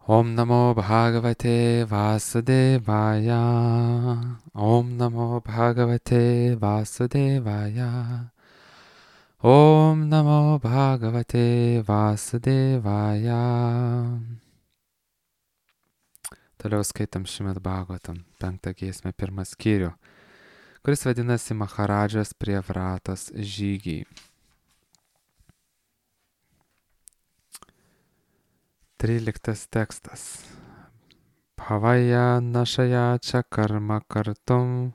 Om Namo Bhagavate Vasudevaya. Om Namo Bhagavate Vasudevaya. Om Namo Bhagavate Vasudevaya. Toliau skaitam Šrimad Bhagavatam, 5 giesmę, 1 skyrių, kuris vadinasi Maharadžos prie Vratos žygiai. 13 tekstas. Bhavaya našaya čia karma kartum,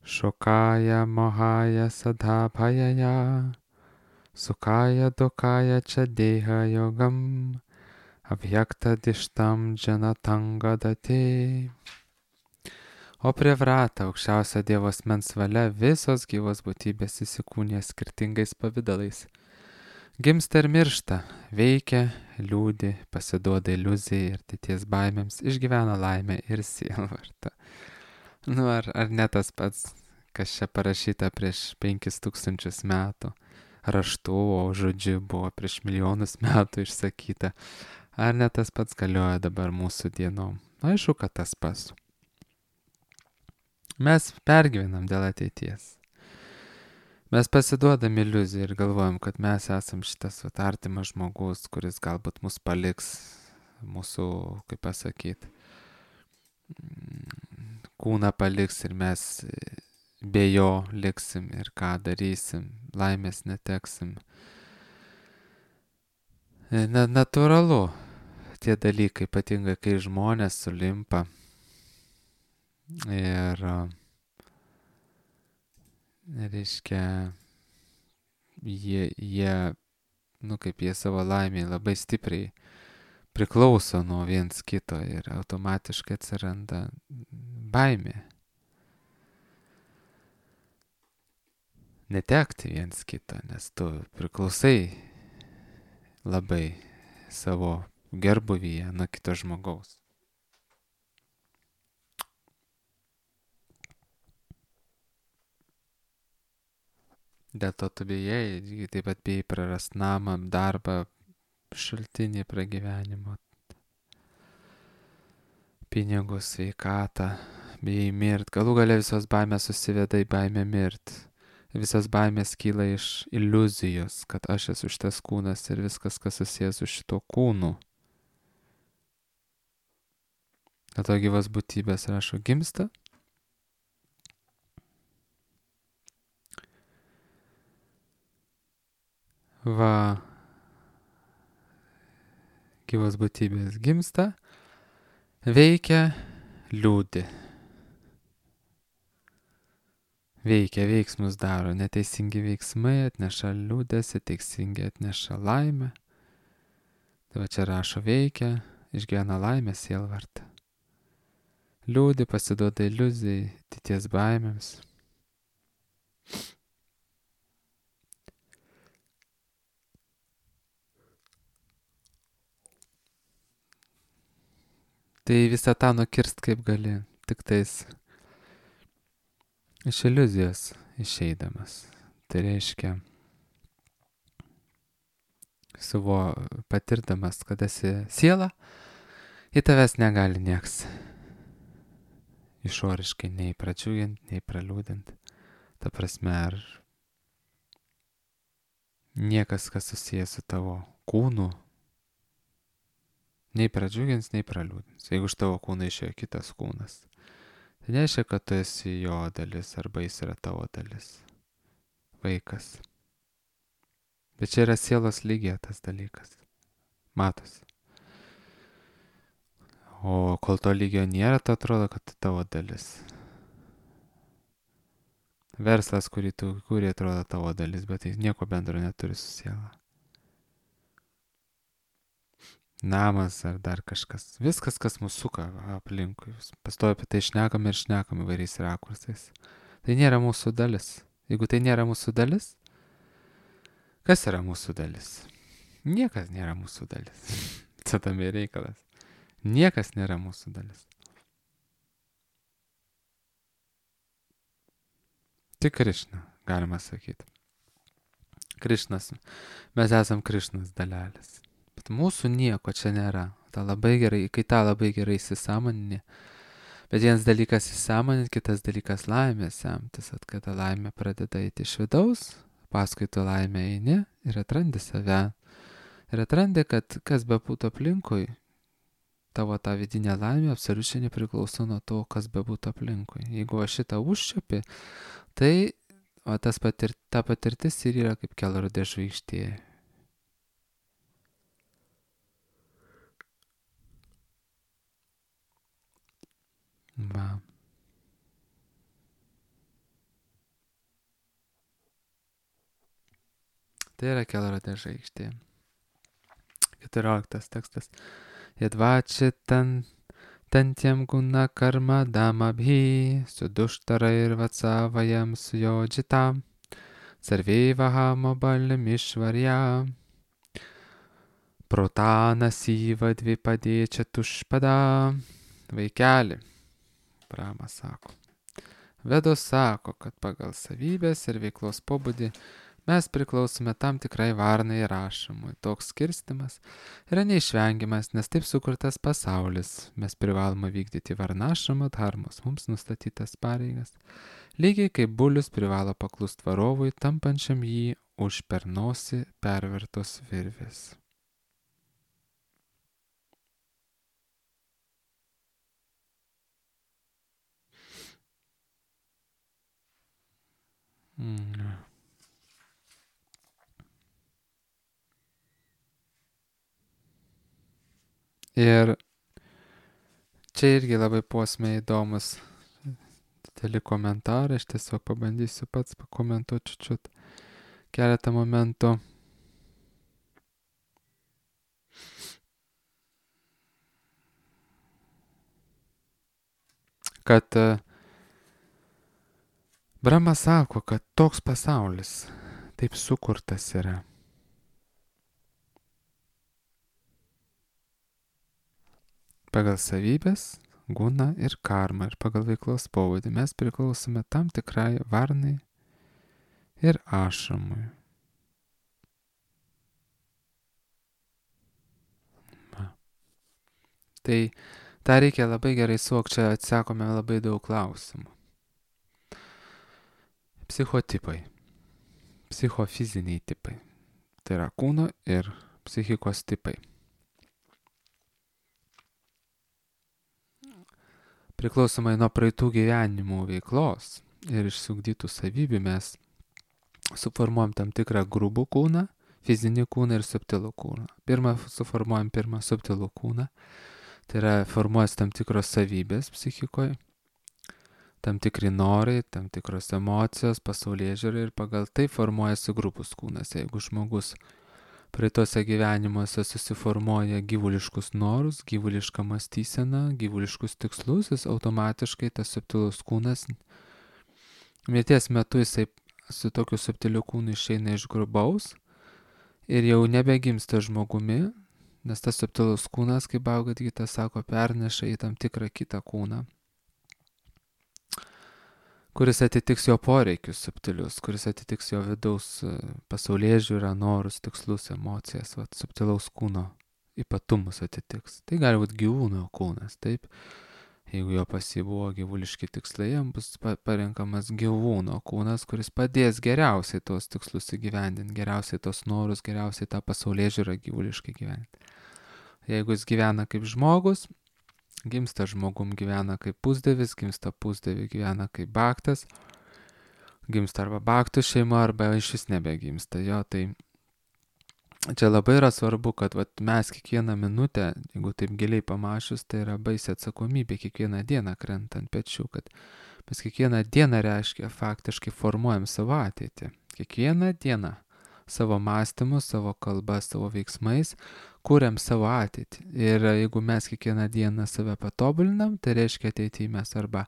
šokaya mohaya sadha bhayaya, sukaya dukaya čia deha yogam, abhyakta dištam džanatanga dati. O prie Vrata, aukščiausia Dievo asmens valia, visos gyvos būtybės įsikūnija skirtingais pavydalais. Gimsta ir miršta, veikia, liūdi, pasiduoda iliuzijai ir ateities baimėms, išgyvena laimę ir sielvartą. Ar ne tas pats, kas čia parašyta prieš 5000 metų, raštu, o žodžiu buvo prieš milijonus metų išsakyta. Ar ne tas pats galioja dabar mūsų dienom? Aišku, kad tas pats. Mes pergyvenam dėl ateities. Mes pasiduodam iliuzijai ir galvojam, kad mes esam šitas artimas žmogus, kuris galbūt mus paliks, mūsų, kaip pasakyti, kūną paliks ir mes be jo liksim ir ką darysim, laimės neteksim. Natūralu, tie dalykai, ypatingai kai žmonės sulimpa ir reiškia, jie savo laimėje labai stipriai priklauso nuo viens kito ir automatiškai atsiranda baimė. Netekti viens kito, nes tu priklausai labai savo gerbuvyje nuo kito žmogaus. Dėl to tu bijai, taip pat bijai prarast namą, darbą, šaltinį pragyvenimo, pinigus, sveikatą, bijai mirt. Galų gale visos baimės susiveda į baimę mirt. Visas baimės kyla iš iliuzijos, kad aš esu šitas kūnas ir viskas, kas susijęs su šito kūnu. Dėl to gyvas būtybės rašo gimsta. Gyvos būtybės gimsta, veikia, liūdi. Veikia, veiksmus daro, neteisingi veiksmai atneša liūdesį, teisingi atneša laimę. Tai va čia rašo veikia, išgyvena laimę, sielvartą. Liūdi, pasiduoda iliuzijai, ateities baimėms. Tai visą tą nukirst kaip gali, tik tais iš iliuzijos išeidamas. Tai reiškia, patirdamas, kad esi siela, į tavęs negali nieks išoriškai nei pradžiugint, nei praliūdint. Ta prasme, ar niekas, kas susijęs su tavo kūnu, nei pradžiugins, nei praliūdins. Jeigu iš tavo kūno išėjo kitas kūnas, tai nereiškia, kad tu esi jo dalis arba jis yra tavo dalis. Vaikas. Bet čia yra sielos lygiai tas dalykas. Matosi. O kol to lygio nėra, tai atrodo, kad tai tavo dalis. Verslas, kurį tu kūrė, atrodo tavo dalis, bet tai nieko bendro neturi su siela. Namas ar dar kažkas. Viskas, kas mūsų suka aplinkui. Pastovi apie tai šnekam ir šnekam įvairiais rakursais. Tai nėra mūsų dalis. Jeigu tai nėra mūsų dalis, kas yra mūsų dalis? Niekas nėra mūsų dalis. Čia tam ir reikalas. Niekas nėra mūsų dalis. Tik Krišna, galima sakyti. Krišnas. Mes esam Krišnas dalelės. Bet mūsų nieko čia nėra. kai tą labai gerai įsisąmonini. Bet vienas dalykas įsisąmoninti, kitas dalykas laimė semtis, kada laimė pradeda eiti iš vidaus, paskui tu laimė eini ir atrandi save. Ir atrandi, kad kas bebūtų aplinkui, tavo ta vidinė laimė absoliučiai nepriklauso nuo to, kas bebūtų aplinkui. Jeigu šitą užčiuopi, tai ta patirtis ir yra kaip kelrodė žvaigždė. Va. Tai yra kelrodė žvaigždė. 14 tekstas. Yadvačitan tantiem guna karma damabhi suduštara ir vatsavayam sujodžitam sarveivaha mobalim išvarja protana syva dvipadėčia tušpada. Vaikeli, Brahma sako. Vedos sako, kad pagal savybės ir veiklos pobūdį mes priklausome tam tikrai varnai ir ašamui. Toks skirstimas yra neišvengiamas, nes taip sukurtas pasaulis. Mes privalome vykdyti varnašamo dharmos, mums nustatytas pareigas. Lygiai kaip bulius privalo paklust varovui, tampančiam jį už per nosį pervertos virvės. Ir čia irgi labai posmė įdomus dideli komentarai, aš tiesiog pabandysiu pats pakomentuoti čiut keletą momentų. Kad Brahma sako, kad toks pasaulis taip sukurtas yra. Pagal savybės, guna ir karma ir pagal veiklos pobūdį mes priklausome tam tikrai varnai ir ašamui. Tai tą reikia labai gerai suvokti, čia atsakome labai daug klausimų. Psichotipai, psichofiziniai tipai, tai yra kūno ir psichikos tipai. Priklausomai nuo praeitų gyvenimų veiklos ir išsiugdytų savybių mes suformuojam tam tikrą grubų kūną, fizinį kūną ir subtilų kūną. Suformuojam pirmą subtilų kūną, tai yra formuojas tam tikros savybės psichikoje, tam tikri norai, tam tikros emocijos, pasaulėžiūra ir pagal tai formuojasi grubus kūnas. Jeigu žmogus praeitose gyvenimuose susiformuoja gyvuliškus norus, gyvulišką mąstyseną, gyvuliškus tikslus, jis automatiškai tas subtilus kūnas, mirties metu jisai su tokiu subtiliu kūnu išeina iš grubaus ir jau nebegimsta žmogumi, nes tas subtilus kūnas, kaip Bhagavad-gita sako, perneša į tam tikrą kitą kūną, kuris atitiks jo poreikius subtilius, kuris atitiks jo vidaus pasaulėžiūrą, norus, tikslus, emocijas, subtilaus kūno ypatumus atitiks. Tai gali būti gyvūno kūnas, taip. Jeigu jo buvo gyvuliški tikslai, jam bus parenkamas gyvūno kūnas, kuris padės geriausiai tos tikslus įgyvendinti, geriausiai tos norus, geriausiai tą pasaulėžiūrą gyvuliškai gyventi. Jeigu jis gyvena kaip žmogus, gimsta žmogum, gyvena kaip pusdievis, gimsta pusdievi, gyvena kaip baktas, gimsta arba baktų šeima, arba iš vis nebegimsta. Jo, tai čia labai yra svarbu, kad mes kiekvieną minutę, jeigu taip giliai pamačius, tai yra baisi atsakomybė kiekvieną dieną krenta ant pečių, kad mes kiekvieną dieną reiškia faktiškai formuojam savo ateitį. Kiekvieną dieną savo mąstymu, savo kalba, savo veiksmais kuriam savo ateitį. Ir jeigu mes kiekvieną dieną save patobulinam, tai reiškia ateityje mes arba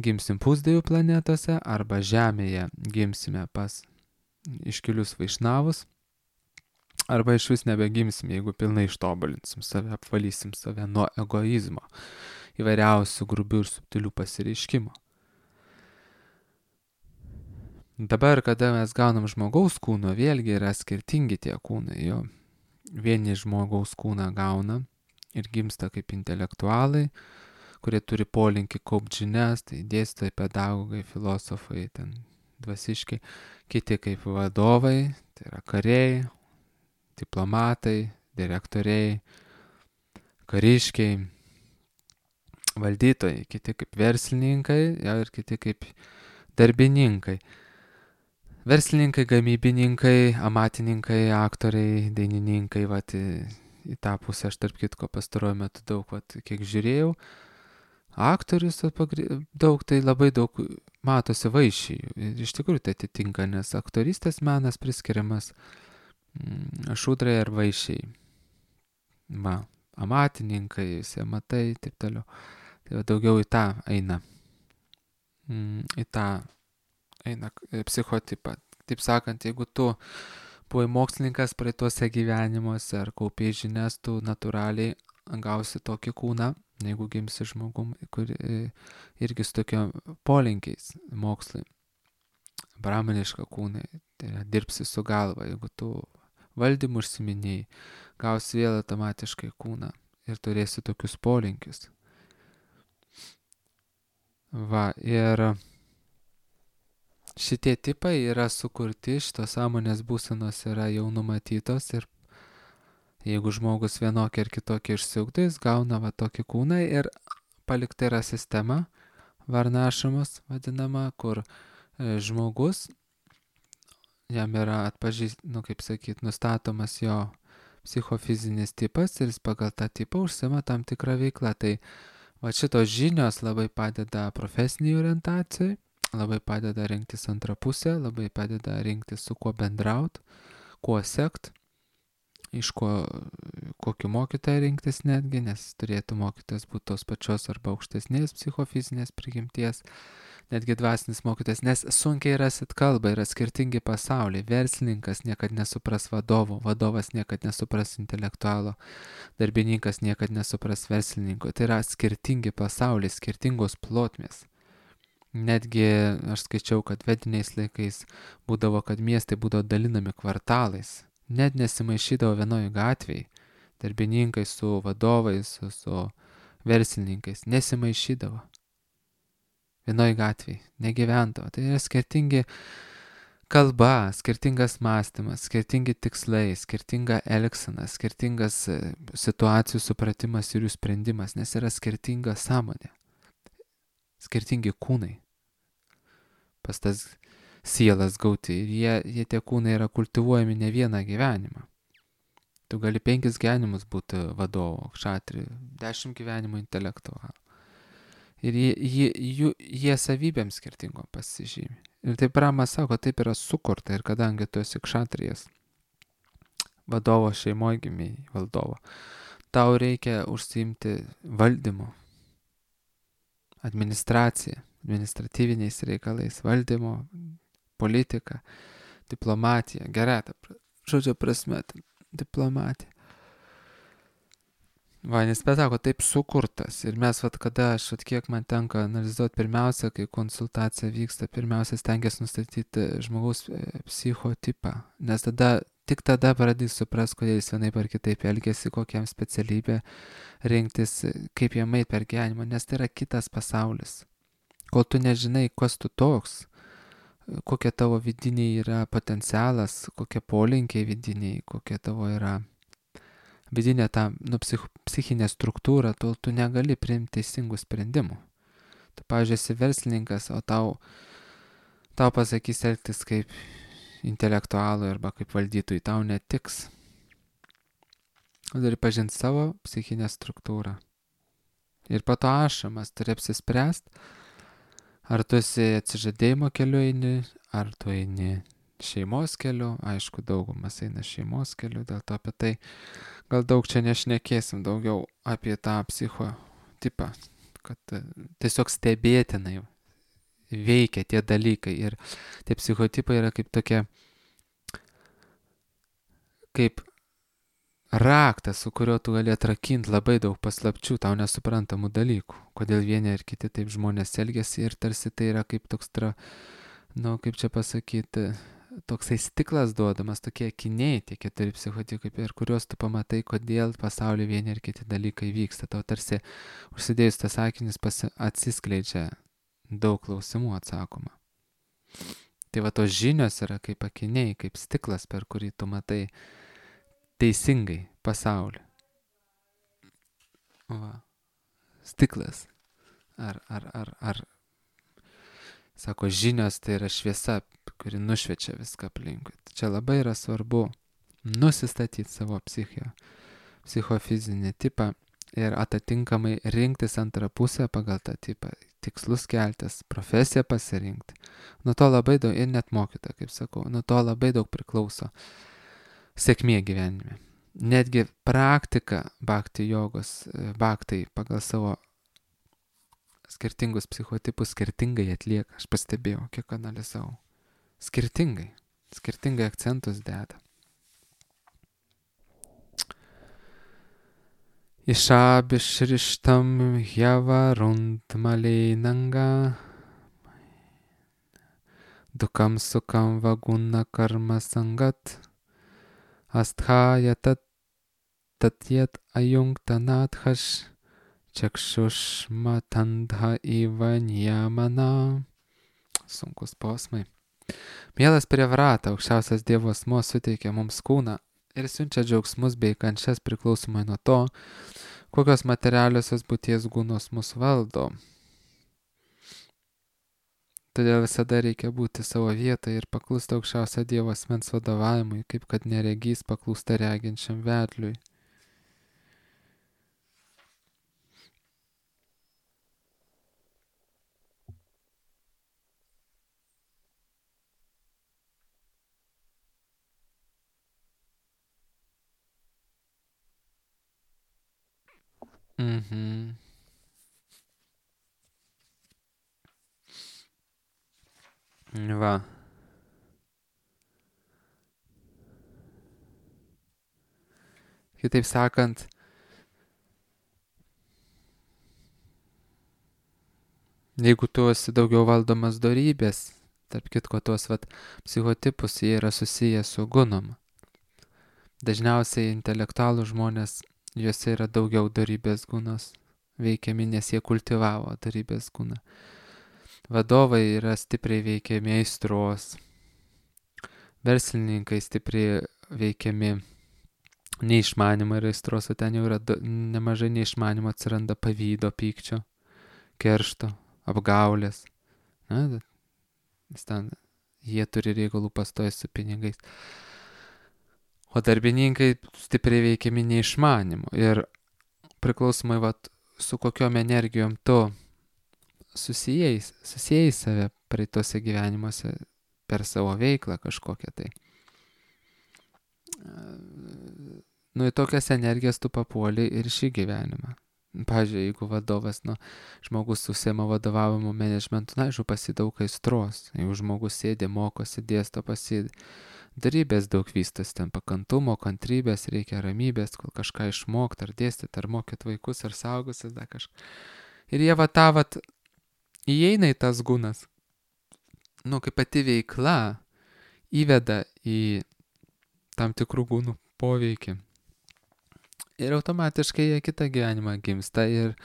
gimsim pusdievių planetose, arba Žemėje gimsime pas iškilius vaišnavus, arba iš vis nebegimsim, jeigu pilnai ištobulinsim save, apvalysim save nuo egoizmo, įvairiausių grubių ir subtilių pasireiškimų. Dabar, kada mes gaunam žmogaus kūno, vėlgi yra skirtingi tie kūnai. Jo. Vieni žmogaus kūną gauna ir gimsta kaip intelektualai, kurie turi polinkį kaupti žinias, tai dėstytojai, pedagogai, filosofai, ten dvasiškai, kiti kaip vadovai, tai yra kariai, diplomatai, direktoriai, kariškiai, valdytojai, kiti kaip verslininkai ir kiti kaip darbininkai. Verslininkai, gamybininkai, amatininkai, aktoriai, dainininkai, vat, į tą pusę aš tarp kitko pastaruoju metu daug, vat, kiek žiūrėjau, aktorius daug, tai labai daug matosi vaišijų. Ir iš tikrųjų tai atitinka, nes aktorystės menas priskiriamas šūdrai ar vaišiai. Va, amatininkai, visi amatai, taip toliau. Tai daugiau į tą eina. Į tą eina psichotipą. Taip sakant, jeigu tu buvai mokslininkas praeituose gyvenimuose ar kaupiai žinias, tu natūraliai gausi tokį kūną, jeigu gimsi žmogum, kur irgi su tokio polinkiais mokslai. Brahmaniška kūnai, tai dirbsi su galva, jeigu tu valdymu užsiminėjai, gausi vėl automatiškai kūną ir turėsi tokius polinkius. Va, ir šitie tipai yra sukurti, šitos sąmonės būsenos yra jau numatytos ir jeigu žmogus vienokį ar kitokį išsiugdo, jis gauna va tokį kūną ir palikta yra sistema, varnašamas vadinama, kur žmogus, jam yra nustatomas jo psichofizinis tipas ir jis pagal tą tipą užsima tam tikrą veiklą. Tai va šitos žinios labai padeda profesiniai orientacijai, labai padeda rinktis antrą pusę, labai padeda rinktis su kuo bendraut, kuo sekt, iš kokį mokytoją rinktis netgi, nes turėtų mokytojas būti tos pačios arba aukštesnės psichofizinės prigimties, netgi dvasinis mokytojas, nes sunkiai rasit kalbą, yra skirtingi pasauliai, verslininkas niekad nesupras vadovo, vadovas niekad nesupras intelektualo, darbininkas niekad nesupras verslininko, tai yra skirtingi pasauliai, skirtingos plotmės. Netgi aš skaičiau, kad vediniais laikais būdavo, kad miestai būdavo dalinami kvartalais, net nesimaišydavo vienoje gatvėje, darbininkai su vadovais, su verslininkais, nesimaišydavo vienoje gatvėje, negyvendavo. Tai yra skirtingi kalba, skirtingas mąstymas, skirtingi tikslai, skirtinga elgsena, skirtingas situacijų supratimas ir jų sprendimas, nes yra skirtinga sąmonė, skirtingi kūnai pas tas sielas gauti ir jie tie kūnai yra kultivuojami ne vieną gyvenimą. Tu gali 5 gyvenimus būti vadovo, kšatri, 10 gyvenimų intelektualų. Ir jie savybėm skirtingom pasižymi. Ir taip Ramas sako, taip yra sukurta ir kadangi tu esi kšatrijas, vadovo šeimoje gimėjai, valdovo, tau reikia užsiimti valdymu, administratyviniais reikalais, valdymo, politika, diplomatija, gerata, žodžio prasme, diplomatija. Va, nes sako, taip sukurtas. Ir mes, kiek man tenka analizuoti, pirmiausia, kai konsultacija vyksta, pirmiausia stengiasi nustatyti žmogaus psichotipą. Nes tik tada pradės supras, kodėl jis vienaip ar kitaip elgėsi, kokiam specialybė rinktis, kaip jam eit per gyvenimą, nes tai yra kitas pasaulis. Kol tu nežinai, kas tu toks, kokie tavo vidiniai yra potencialas, kokie polinkiai vidiniai, kokie tavo yra vidinė ta psichinė struktūra, tol tu negali priimti teisingų sprendimų. Tu, pavyzdžiui, esi verslininkas, o tau pasakys elgtis kaip intelektualui arba kaip valdytojui, tau netiks. Turi pažinti savo psichinę struktūrą. Ir po to ašamas turi apsispręsti, ar tu esi atsižadėjimo keliu eini, ar tu eini šeimos keliu. Aišku, daugumas eina šeimos keliu, dėl to apie tai gal daug čia nešnekėsim, daugiau apie tą psichotipą, kad tiesiog stebėtinai veikia tie dalykai. Ir tie psichotipai yra kaip tokie, kaip raktas, su kuriuo tu gali atrakinti labai daug paslapčių, tau nesuprantamų dalykų. Kodėl vieni ir kiti taip žmonės elgiasi ir tarsi tai yra kaip toks, kaip čia pasakyti, toksai stiklas duodamas, tokie akiniai, tie 4 psichotipai, per kuriuos tu pamatai, kodėl pasaulyje vieni ir kiti dalykai vyksta. Tau tarsi užsidėjus tas akinis atsiskleidžia daug klausimų atsakoma. Tai va tos žinios yra kaip akiniai, kaip stiklas, per kurį tu matai teisingai pasaulį. Va. Stiklas. Ar sako, žinios tai yra šviesa, kuri nušviečia viską aplinkui. Tai čia labai yra svarbu nusistatyti savo psichofizinį tipą ir atitinkamai rinktis antrą pusę pagal tą tipą, tikslus keltis, profesiją pasirinkti. Nuo to labai daug, ir net mokyta, kaip sakau, nuo to labai daug priklauso sėkmė gyvenime. Netgi praktika bhakti jogos, bhaktai pagal savo skirtingus psichotipus skirtingai atlieka. Aš pastebėjau, kiek analizavau. Skirtingai akcentus deda. Išabishrištam hyavarundmaleinanga dukam sukam vaguna karma sangat asthaya tatyat ajungtanathash čakšušmatandha ivanyamana. Sunkus posmai. Mielas Priyavrata, aukščiausias Dievo asmuo suteikia mums kūną ir siunčia džiaugsmus bei kančias priklausomai nuo to, kokios materialiosios būties gunos mus valdo. Todėl visada reikia būti savo vietoje ir paklusti aukščiausio Dievo asmens vadovavimui, kaip kad neregys paklūsta reginčiam vedliui. Va. Kitaip sakant, jeigu tu esi daugiau valdomas dorybės, tarp kitko tuos psichotipus, jie yra susiję su gunom. Dažniausiai intelektualų žmonės, juose yra daugiau dorybės gunos veikiami, nes jie kultivavo dorybės guną. Vadovai yra stipriai veikiami aistros, verslininkai stipriai veikiami neišmanimo ir aistros, o ten jau yra nemažai neišmanimo, atsiranda pavydo, pykčio, keršto, apgaulės. Na, ten jie turi reikalų pastoja su pinigais. O darbininkai stipriai veikiami neišmanimo ir priklausomai su kokiom energijom tu susijai save praeitose gyvenimuose per savo veiklą kažkokią tai. Nu, į tokias energijas tu papuoli ir šį gyvenimą. Pavyzdžiui, jeigu vadovas, žmogus užsiema vadovavimu managementu, aišku, pasidaug aistros. Jeigu žmogus sėdė, mokosi, dėsto, darybės daug vystas, ten pakantumo, kantrybės, reikia ramybės, kol kažką išmokti, ar dėstyti, ar mokyti vaikus, ar saugusis, dar kažką. Ir jie įeina į tas gunas. Kaip pati veikla įveda į tam tikrų gūnų poveikį. Ir automatiškai jie kitą gyvenimą gimsta ir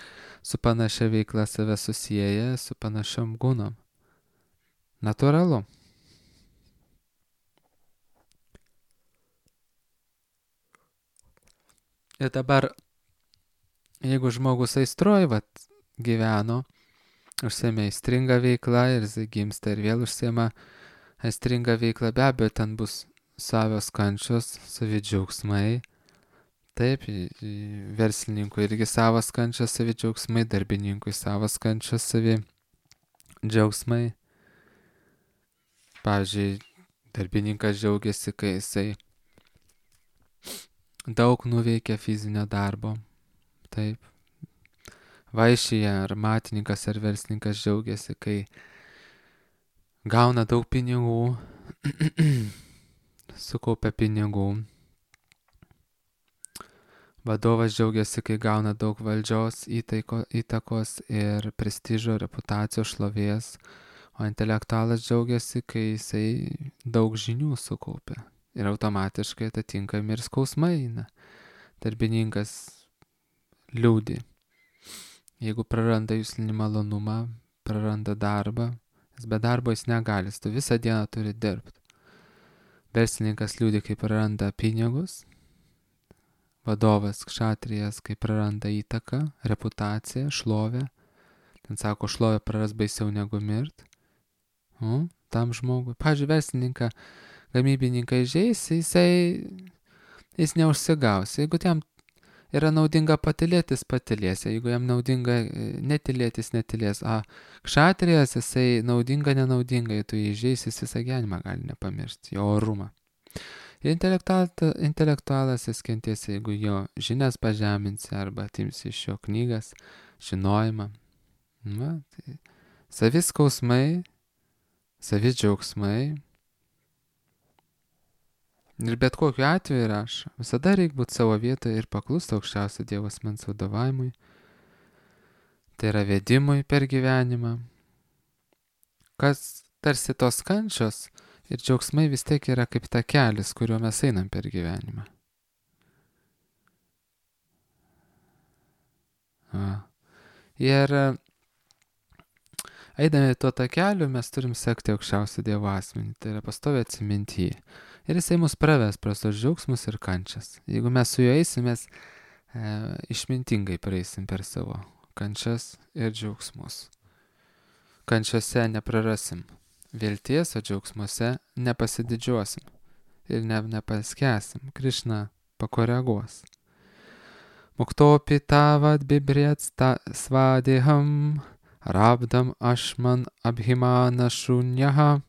su panašia veikla save susieja su panašiom gūnom. Natūralu. Ir dabar, jeigu žmogus aistroj gyveno, užsiėmė aistringą veiklą ir jis gimsta ir vėl užsiėmė aistringą veiklą, be abejo, ten bus savios kančios, savi džiaugsmai. Taip, verslininkui irgi savas kančios, savi džiaugsmai, darbininkui savas kančios, savi džiaugsmai. Pavyzdžiui, darbininkas džiaugiasi, kai jisai daug nuveikia fizinio darbo. Taip. Vaišyje ar matininkas ar verslininkas džiaugiasi, kai gauna daug pinigų, sukaupia pinigų. Vadovas džiaugiasi, kai gauna daug valdžios, įtakos ir prestižo, reputacijos, šlovės, O intelektualas džiaugiasi, kai jisai daug žinių sukaupia. Ir automatiškai atitinkami ir skausmai eina. Darbininkas liūdi. Jeigu praranda jūslinį malonumą, praranda darbą, nes be darbo jis negali, tu visą dieną turi dirbti. Verslininkas liūdi, kai praranda pinigus, vadovas kšatrijas, kai praranda įtaką, reputaciją, šlovę. Ten sako, šlovę praras baisiau negu mirt. Tam žmogui. Pavyzdžiui, verslininką, gamybininką įžeis, jis neužsigaus. Jeigu jam yra naudinga patylėtis, patylės. Jeigu jam naudinga netylėtis, netylės. Kšatrijas, jisai naudinga, nenaudinga, jei tu jį įžeis, jis visą gyvenimą gali nepamiršti, jo orumą. Ir intelektualas jis kentės, jeigu jo žinias pažeminsi arba atimsi iš jo knygas, žinojimą. Tai savi skausmai, savi džiaugsmai. Ir bet kokiu atveju rašo, visada reikia būti savo vietoje ir paklusti aukščiausio Dievo asmens vadovavimui. Tai yra vedimui per gyvenimą. Kas tarsi tos kančios ir džiaugsmai vis tiek yra kaip takelis, kuriuo mes einam per gyvenimą. Ir eidami tuo takeliu mes turim sekti aukščiausio Dievo asmenį, tai yra pastoviai atsiminti jį. Ir jisai mus praves pras tos džiaugsmus ir kančias. Jeigu mes su juo eisim, mes išmintingai praeisim per savo kančias ir džiaugsmus. Kančiose neprarasim vilties, o džiaugsmuose nepasididžiuosim ir nepaskęsim. Krišna pakoreguos. Muktopi tavad bibriet svadeham rabdam ashman abhimana shunyaha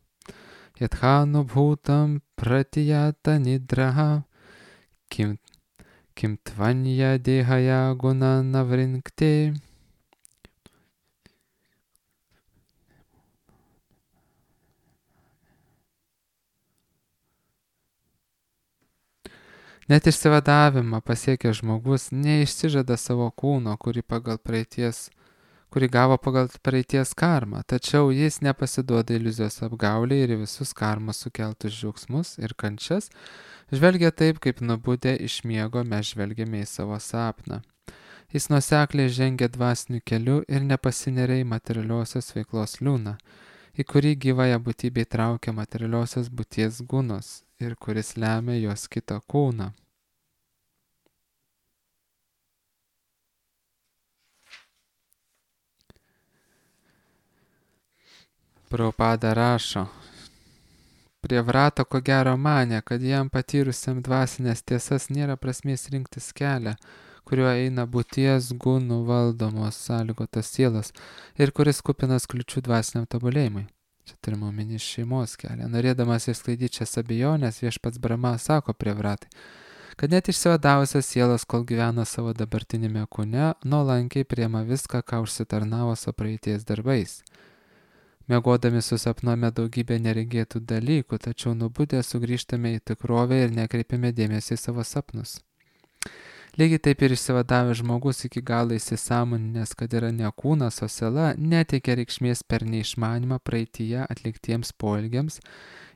yathanu bhutam pratiyata nidraha kim tvanya dehaya guna navrinkte. Net išsivadavimą pasiekęs žmogus neišsižada savo kūno, kurį gavo pagal praeities karmą, tačiau jis nepasiduoda iliuzijos apgaulė ir visus karmos sukeltus džiaugsmus ir kančias žvelgia taip, kaip nubudę iš miego mes žvelgiame į savo sapną. Jis nuosekliai žengia dvasiniu keliu ir nepasineria į materialiosios veiklos liūną, į kurį gyvąją būtybę įtraukia materialiosios būties gunos ir kuris lemia jos kitą kūną. Prabhupada rašo, Prievrata ko gero manė, kad jam patyrusiam dvasinės tiesas nėra prasmės rinktis kelią, kuriuo eina būties gunų valdomos sąlygotos sielos ir kuris kupinas kliučių dvasiniam tobulėjimui. Čia turime omeny šeimos kelią. Norėdamas išsklaidyti šias abejonės, viešpats Brahma sako Prievratai, kad net išsivadavusios sielos, kol gyvena savo dabartinėme kūne, nuolankiai priema viską, ką užsitarnavo savo praeities darbais. Miegodami susapnuojame daugybę neregėtų dalykų, tačiau nubudę sugrįžtame į tikrovę ir nekreipiame dėmesį į savo sapnus. Lygiai taip ir išsivadavęs žmogus iki galo įsisąmoninęs, kad yra ne kūnas, o siela, neteikia reikšmės per neišmanymą praeityje atliktiems poelgiams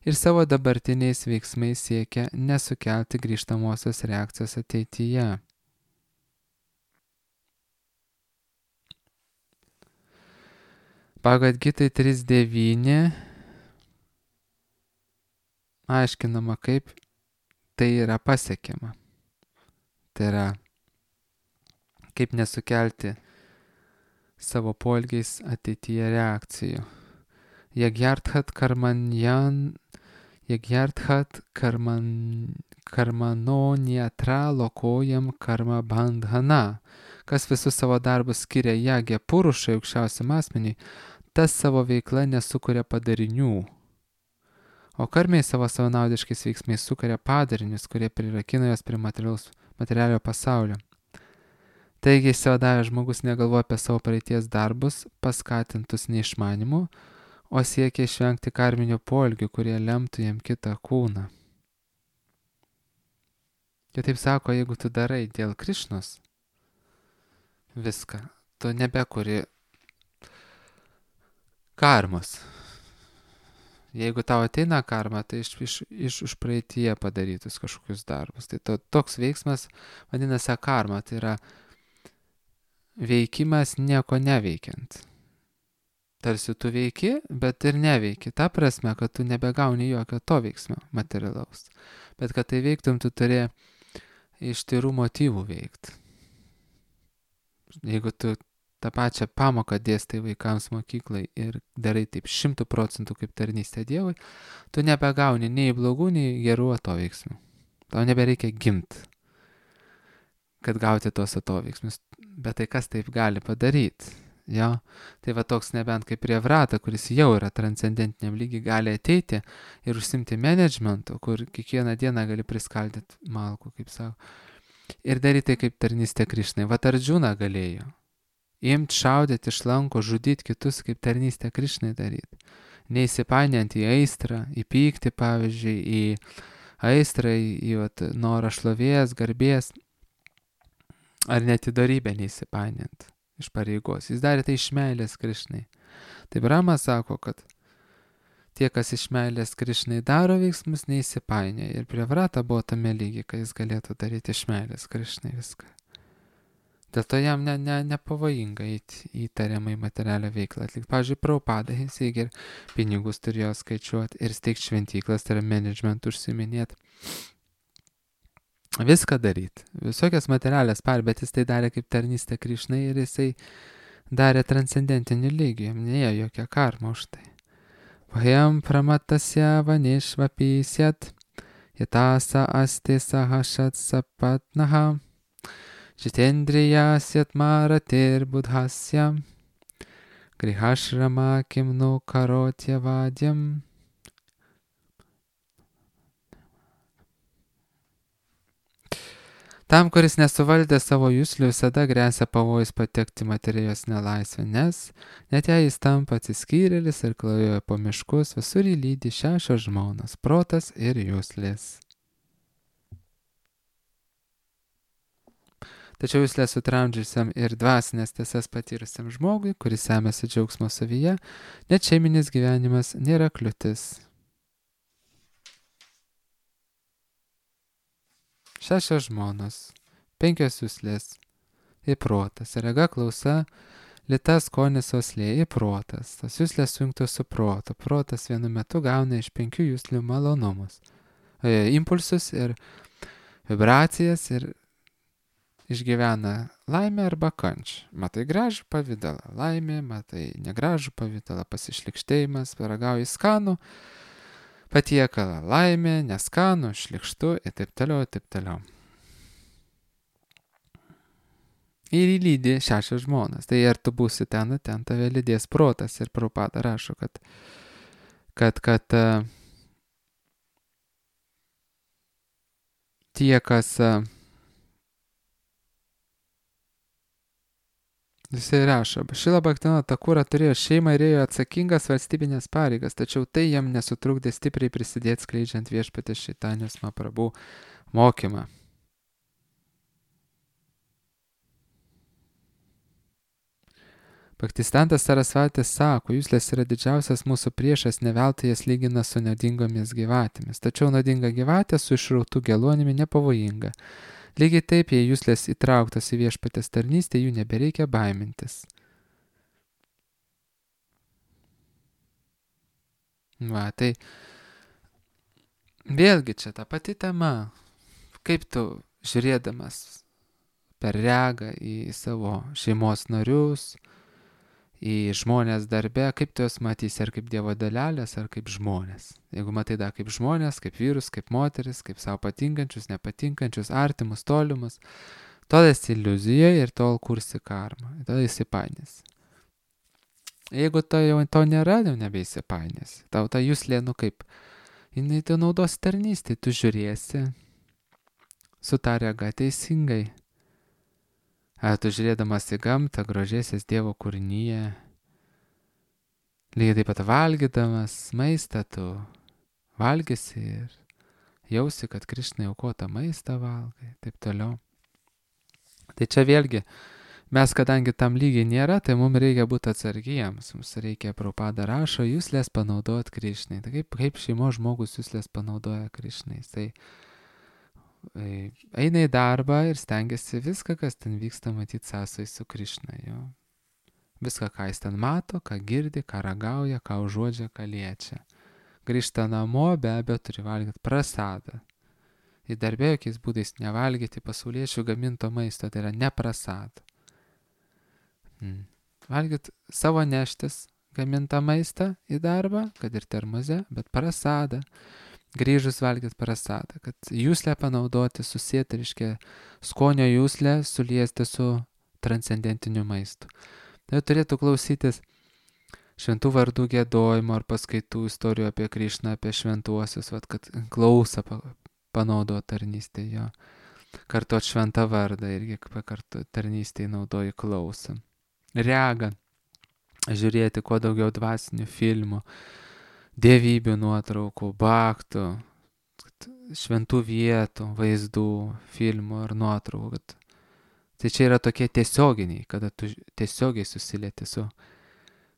ir savo dabartiniais veiksmais siekia nesukelti grįžtamosios reakcijos ateityje. Bhagavad Gita 3.9 aiškinama, kaip tai yra pasiekiama. Tai yra, kaip nesukelti savo poelgiais ateityje reakcijų. Jagyarthat karmanoniatra lokojam karma bandhana. Kas visus savo darbus skiria jagė purušai aukščiausiam asmeniui, tas savo veikla nesukuria padarinių. O karmiai savo savanaudiškais veiksmais sukuria padarinius, kurie prirakina jos prie materialio pasaulio. Taigi išsivadavęs žmogus negalvoja apie savo praeities darbus, paskatintus neišmanimu, o siekia išvengti karminių poelgių, kurie lemtų jam kitą kūną. Kitaip sako, jeigu tu darai dėl Krišnos viską, tu nebekuri karmos. Jeigu tau ateina karma, tai iš praeityje padarytus kažkokius darbus. Tai toks veiksmas vadinasi karma, tai yra veikimas nieko neveikiant. Tarsi tu veiki, bet ir neveiki. Ta prasme, kad tu nebegauni jokio to veiksmio materialaus. Bet kad tai veiktum, tu turi iš tirų motyvų veikti. Jeigu tu tą pačią pamoką dėstai vaikams mokyklai ir darai taip 100% kaip tarnystė Dievui, tu nebegauni nei blogų, nei gerų atoveiksmių. Tau nebereikia gimti, kad gauti tos atoveiksmius. Bet tai kas taip gali padaryti? Jo? Tai va toks nebent kaip prie Vrata, kuris jau yra transcendentiniam lygiai, gali ateiti ir užsimti managementu, kur kiekvieną dieną gali priskaldyti malkų, kaip sako. Ir daryti kaip tarnystė Krišnai. Va Ardžuna galėjo. Imt, šaudyti iš lanko, žudyti kitus kaip tarnystę Krišnai daryti. Neįsipainiant į aistrą, į pyktį, pavyzdžiui, į aistrą, į norą šlovės, garbės, ar net į dorybę neįsipainiant iš pareigos. Jis darė tai iš meilės Krišnai. Tai Brahmas sako, kad tie, kas iš meilės Krišnai daro veiksmus, neįsipainioja. Ir prie Vrata buvo tame lygiai, kai jis galėtų daryti iš meilės Krišnai viską. Dėl to jam nepavojinga į tariamai materialią veiklą atlikti. Pavyzdžiui, Prabhupada, jis ir pinigus turėjo skaičiuoti ir steigti šventyklas, tai yra management užsiminėti. Viską daryti. Visokias materialės bet jis tai darė kaip tarnystė Krišnai ir jisai darė transcendentinį lygį, jam neėjo jokia karma už tai. Vajam pramatasya vanishvapisyat yatasa asti sahashat sapatnaha Jitendriyasya maratir buddhasya grihashrama kimnu karotya vadyam. Tam, kuris nesuvaldė savo juslių, visada grėsia pavojus patekti materijos nelaisvę, nes net jei jis tampa atsiskyrėlis ir klajoja po miškus, visur jį lydi 6 žmonos - protas ir juslės. Tačiau juslės sutramdžiusiam ir dvasinės tiesas patyrusiam žmogui, kuris semėsi džiaugsmo savyje, net šeiminis gyvenimas nėra kliūtis. 6 žmonos, 5 juslės į protas, rega, klausa, lyta, skonis, uoslė į protas. Tas juslės sujungtos su protu. Protas vienu metu gauna iš 5 juslių malonumus, impulsus ir vibracijas ir išgyvena laimę arba kančią. Matai gražų pavydalą laimė, matai negražų pavydalą pasišlikštėjimas, paragauji skanų patiekalą laimė, neskanų, šlikštų ir taip toliau, ir taip toliau. Ir įlydi 6 žmonas. Tai ar tu būsi ten tave lydės protas. Ir Prabhupada rašo, kad tie, kas Jisai rašo, Šrila Bhaktivinoda Thakura turėjo šeimą ir ėjo atsakingas valstybinės pareigas, tačiau tai jam nesutrukdė stipriai prisidėti skleidžiant Viešpatės Čaitanijos Mahaprabhu mokymą. Bhaktistantas Sarasvatis sako, juslės yra didžiausias mūsų priešas, ne veltui jas lygina su naudingomis gyvatėmis, tačiau naudinga gyvatė su išrautų geluonimi nepavojinga. Lygiai taip, jei juslės įtrauktos į Viešpatės tarnystę, jų nebereikia baimintis. Va, tai vėlgi čia ta pati tema, kaip tu žiūrėdamas per regą į savo šeimos narius, į žmonės darbe, kaip tu juos matysi, ar kaip Dievo dalelės, ar kaip žmonės. Jeigu matai dar kaip žmonės, kaip vyrus, kaip moteris, kaip savo patinkančius, nepatinkančius, artimus, tolimus, tol esi iliuzijoje ir tol kursi karmą, tol įsipainės. Jeigu to nėra, jau nebeįsipainės. Tau ta juslė, kaip, jinai tu naudos tarnystė, tu žiūrėsi su ta rega teisingai. Ar tu žiūrėdamas į gamtą, grožėsies Dievo kūrinyje, lygiai taip pat valgydamas maistą, tu valgysi ir jausi, kad Krišnai aukotą maistą valgai, taip toliau. Tai čia vėlgi Mes, kadangi tam lygiai nėra, tai mums reikia būti atsargiems. Mums reikia, Prabhupada rašo, juslės panaudot Krišnai. Tai kaip šeimos žmogus juslės panaudoja Krišnai. Tai eina į darbą ir stengiasi viską, kas ten vyksta, matyti sąsai su Krišna. Jo. Viską, ką jis ten mato, ką girdi, ką ragauja, ką užuodžia, ką liečia. Grįžta namo, be abejo, turi valgyti prasadą. Į darbę jokiais būdais nevalgyti pasauliečių gaminto maisto, tai yra neprasada. Valgyt savo neštis gamintą maistą į darbą, kad ir termoze, bet prasadą. Grįžus valgyt prasadą, kad juslę panaudoti, susėti, reiškia, skonio juslę suliesti su transcendentiniu maistu. Tai turėtų klausytis šventų vardų giedojimo ar paskaitų istorijų apie Krišną, apie šventuosius, kad klausą panaudo tarnystėje jo. Kartuot šventą vardą irgi kartu tarnystėje naudoji klausą. Rega, žiūrėti kuo daugiau dvasinių filmų, dievybių nuotraukų, baktų, šventų vietų, vaizdų, filmų ar nuotraukų. Tai čia yra tokie tiesioginiai, kada tu tiesiogiai susilieti su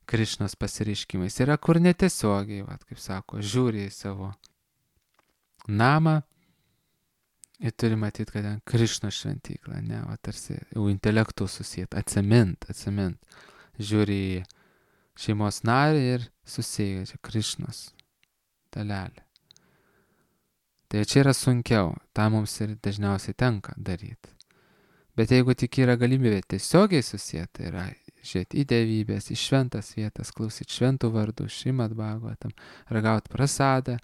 Krišnos pasireiškimais. Yra kur netiesiogiai, kaip sako, žiūri į savo namą ir turi matyti, kad ten Krišnos šventykla, ne, tarsi jau intelektų susijęs, atsimint. Žiūri į šeimos narį ir susieja, čia Krišnos dalelė. Tai čia yra sunkiau, tą mums ir dažniausiai tenka daryti. Bet jeigu tik yra galimybė tiesiogiai susijęti, tai yra žiūrėti į dievybės, į šventas vietas, klausyti šventų vardų, Šrimad Bhagavatam, ragauti prasadą,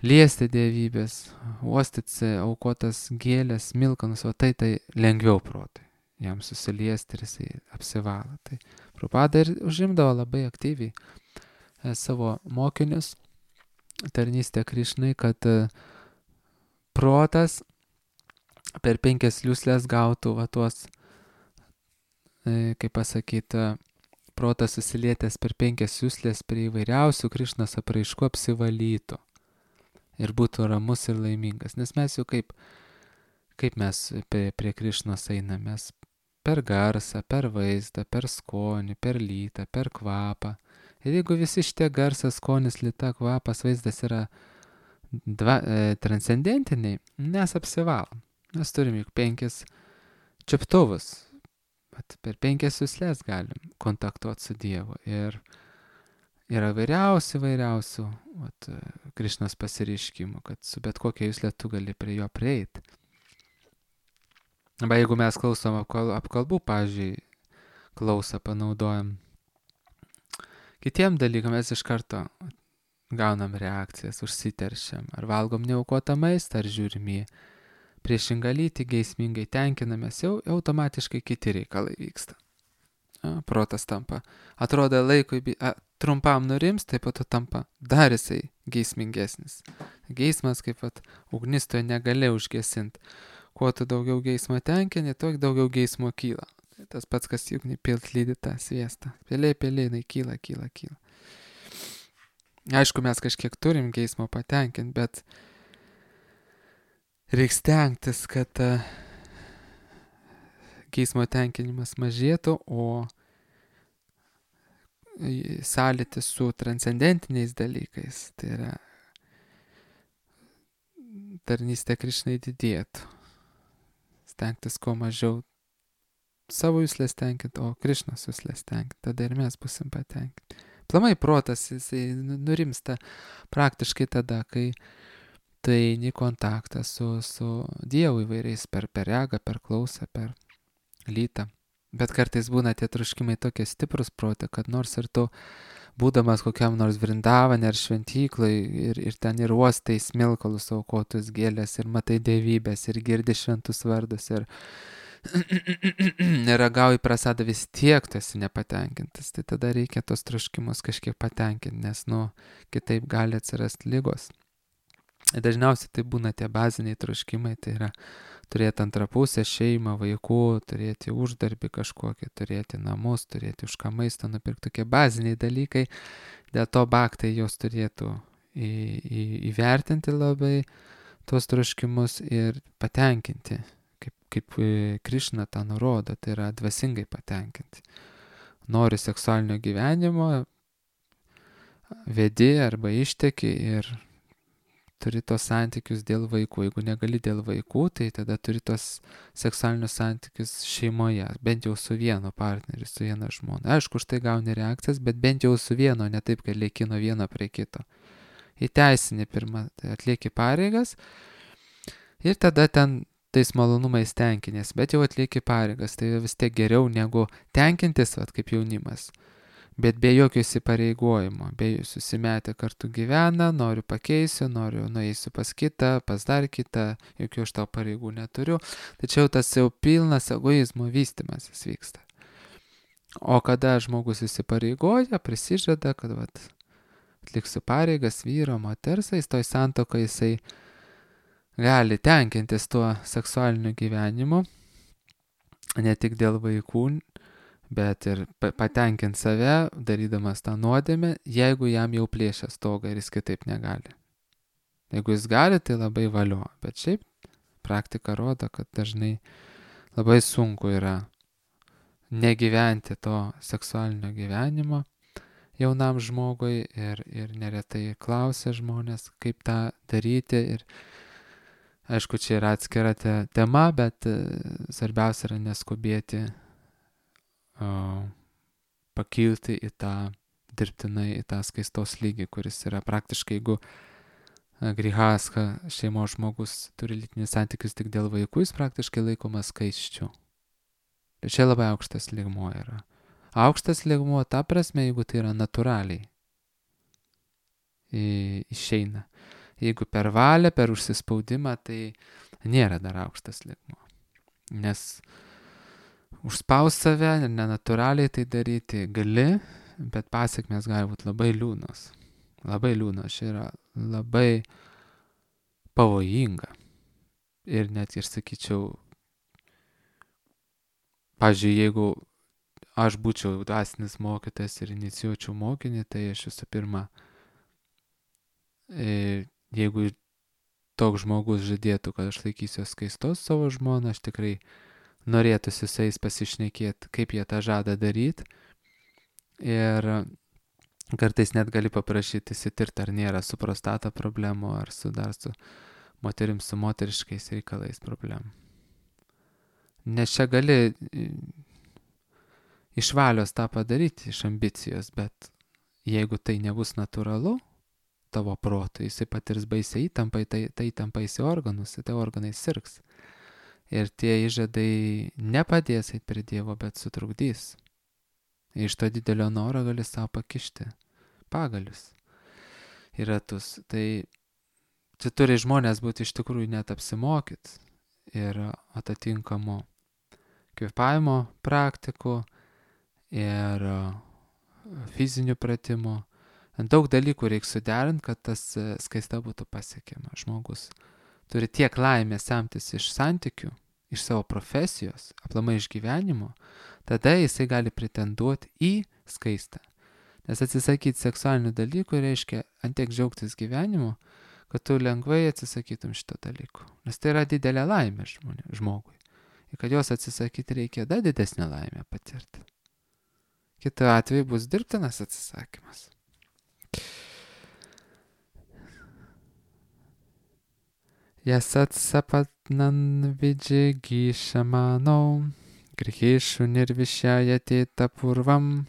liesti dievybės, uostyti aukotas gėlės, milkanus, o tai lengviau protui. Jam susiliesti ir jisai apsivalo. Tai Prabhupada ir užimdavo labai aktyviai savo mokinius tarnystę Krišnai, kad protas per 5 juslės gautų tuos, kaip pasakyti, protas susilietęs per 5 juslės prie įvairiausių Krišnos apraiškų apsivalytų ir būtų ramus ir laimingas. Nes mes jau kaip mes prie Krišnos einame, mes per garsą, per vaizdą, per skonį, per lytą, per kvapą. Ir jeigu visi šitie garsas, skonis, lyta, kvapas, vaizdas yra transcendentiniai, mes apsivalom. Mes turim juk 5 čiuptuvus. Per 5 juslės galim kontaktuoti su Dievu. Ir yra vairiausių Krišnos pasireiškimų, kad su bet kokia juslė tu gali prie jo prieiti. Arba jeigu mes klausom apkalbų, pavyzdžiui, klausą panaudojam kitiem dalykam, mes iš karto gaunam reakcijas, užsiteršiam, ar valgom neaukotą maistą, ar žiūrim į priešingą lytį, geismingai tenkinamės, jau automatiškai kiti reikalai vyksta. Protas tampa, atrodo laikui trumpam nurims, taip pat tampa dar jisai geismingesnis. Geismas kaip ugnis tu negali užgesinti. Kuo tu daugiau geismo tenkini, tuo daugiau geismo kyla. Tas pats, kas juk nepilt lydi tą sviestą. Pėliai, jinai kyla. Aišku, mes kažkiek turim geismo patenkinti, bet reikia stengtis, kad geismo tenkinimas mažėtų, o sąlytis su transcendentiniais dalykais, tai yra tarnystė Krišnai didėtų. Stengtis kuo mažiau savo juslės tenkinti, o Krišnos juslės tenkinti, tada ir mes busim patenkinti. Plamai protas, jisai nurimsta praktiškai tada, kai tai eini kontaktą su Dievu įvairiais per regą, per klausą, per lytą. Bet kartais būna tie troškimai tokie stiprus prote, kad nors ir tu, būdamas kokiam nors Vrindavane ar šventyklai ir ten ir uostai smilkalus aukotus gėlės ir matai dievybės ir girdi šventus vardus ir neragauji prasadą, vis tiek tu esi nepatenkintas. Tai tada reikia tos troškimus kažkiek patenkinti, nes kitaip gali atsirasti ligos. Dažniausiai tai būna tie baziniai troškimai, tai yra turėti antrapusę šeimą, vaikų, turėti uždarbį kažkokį, turėti namus, turėti už ką maistą nupirkti, tokie baziniai dalykai. Dėl to bhaktai jos turėtų įvertinti labai tuos troškimus ir patenkinti kaip Krišna tą nurodo, tai yra dvasingai patenkinti. Nori seksualinio gyvenimo, vedi arba išteki ir turi tos santykius dėl vaikų. Jeigu negali dėl vaikų, tai tada turi tos seksualinius santykius šeimoje, bent jau su vienu partneriu, su viena žmona. Aišku, už tai gauni reakcijas, bet bent jau su vieno, ne taip, kad lieki nuo vieno prie kito. Įteisinį pirmą, tai atlieki pareigas ir tada ten tais malonumais tenkinės, bet jau atlieki pareigas, tai vis tiek geriau negu tenkintis, kaip jaunimas. Bet be jokio įsipareigojimo, be susimetę kartu gyvena, noriu pakeisiu, noriu nueisiu pas kitą, pas dar kitą, jokių aš tau pareigų neturiu. Tačiau tas jau pilnas egoizmo vystimasis vyksta. O kada žmogus įsipareigoja, prisižada, kad atliksiu pareigas vyro, moters, jis toj santuokai jisai gali tenkintis tuo seksualiniu gyvenimu, ne tik dėl vaikų, bet ir patenkinti save, darydamas tą nuodėmę, jeigu jam jau plėšia stogą ir jis kitaip negali. Jeigu jis gali, tai labai valio, bet šiaip praktika rodo, kad dažnai labai sunku yra negyventi to seksualinio gyvenimo jaunam žmogui ir neretai klausia žmonės, kaip tą daryti. Ir aišku, čia yra atskira tema, bet svarbiausia yra neskubėti pakilti į tą dirbtinai, į tą skaistos lygį, kuris yra praktiškai, jeigu grihastha šeimos žmogus turi lytinius santykius tik dėl vaikų, jis praktiškai laikomas skaisčiu. Ir čia labai aukštas lygmuo yra. Aukštas lygmuo ta prasme, jeigu tai yra natūraliai išeina. Jeigu per valią, per užsispaudimą, tai nėra dar aukštas lygmuo. Nes užspaus save ir nenatūraliai tai daryti gali, bet pasiekmės gali būti labai liūdnos. Labai liūdnos, čia yra labai pavojinga. Ir net ir sakyčiau, pavyzdžiui, jeigu aš būčiau dvasinis mokytojas ir inicijuočiau mokinį, tai aš visų pirma, jeigu toks žmogus žadėtų, kad aš laikysiu skaistos savo žmoną, aš tikrai norėtųsi su jais pasišnekėti, kaip jie tą žada daryti. Ir kartais net gali paprašyti įsitirti, ar nėra su prostata problemų, ar dar su moterim, su moteriškais reikalais problemų. Nes čia gali iš valios tą padaryti, iš ambicijos, bet jeigu tai nebus natūralu tavo protui, jisai patirs baisiai įtampą, tai įtampa į organus, tai organai sirgs. Ir tie įžadai nepadės eit prie Dievo, bet sutrukdys. Iš to didelio noro gali savo pakišti pagalius į ratus. Tai čia turi žmonės būti iš tikrųjų net apsimokyti ir atitinkamų kvėpavimo praktikų ir fizinių pratimų. Daug dalykų reikia suderinti, kad tas skaista būtų pasiekiama. Žmogus turi tiek laimės semtis iš santykių, iš savo profesijos, aplamai iš gyvenimo, tada jisai gali pretenduoti į skaistą. Nes atsisakyti seksualinių dalykų reiškia antiek džiaugtis gyvenimu, kad tu lengvai atsisakytum šito dalykų. Nes tai yra didelė laimė žmogui. Ir kad jos atsisakyti reikia dar didesnę laimę patirti. Kitu atveju bus dirbtinas atsisakymas. Yasat sapatnan vidžigishamano grihishu nirvishyayate tapurvam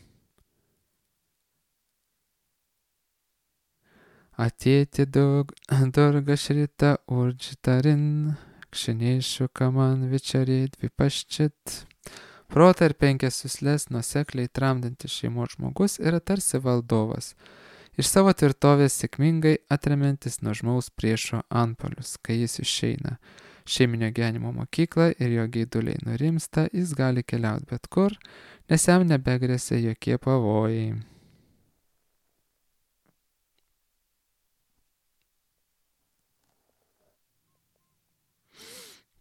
atėti durga šrita urjitarin kšineshu kaman vičarit vipaščit. Protą ir 5 juslės nuosekliai tramdantis šeimos žmogus yra tarsi valdovas, iš savo tvirtovės sėkmingai atremiantis nuožmaus priešo antpuolius. Kai jis išeina šeiminio gyvenimo mokyklą ir jo geiduliai nurimsta, jis gali keliauti bet kur, nes jam nebegrėsia jokie pavojai.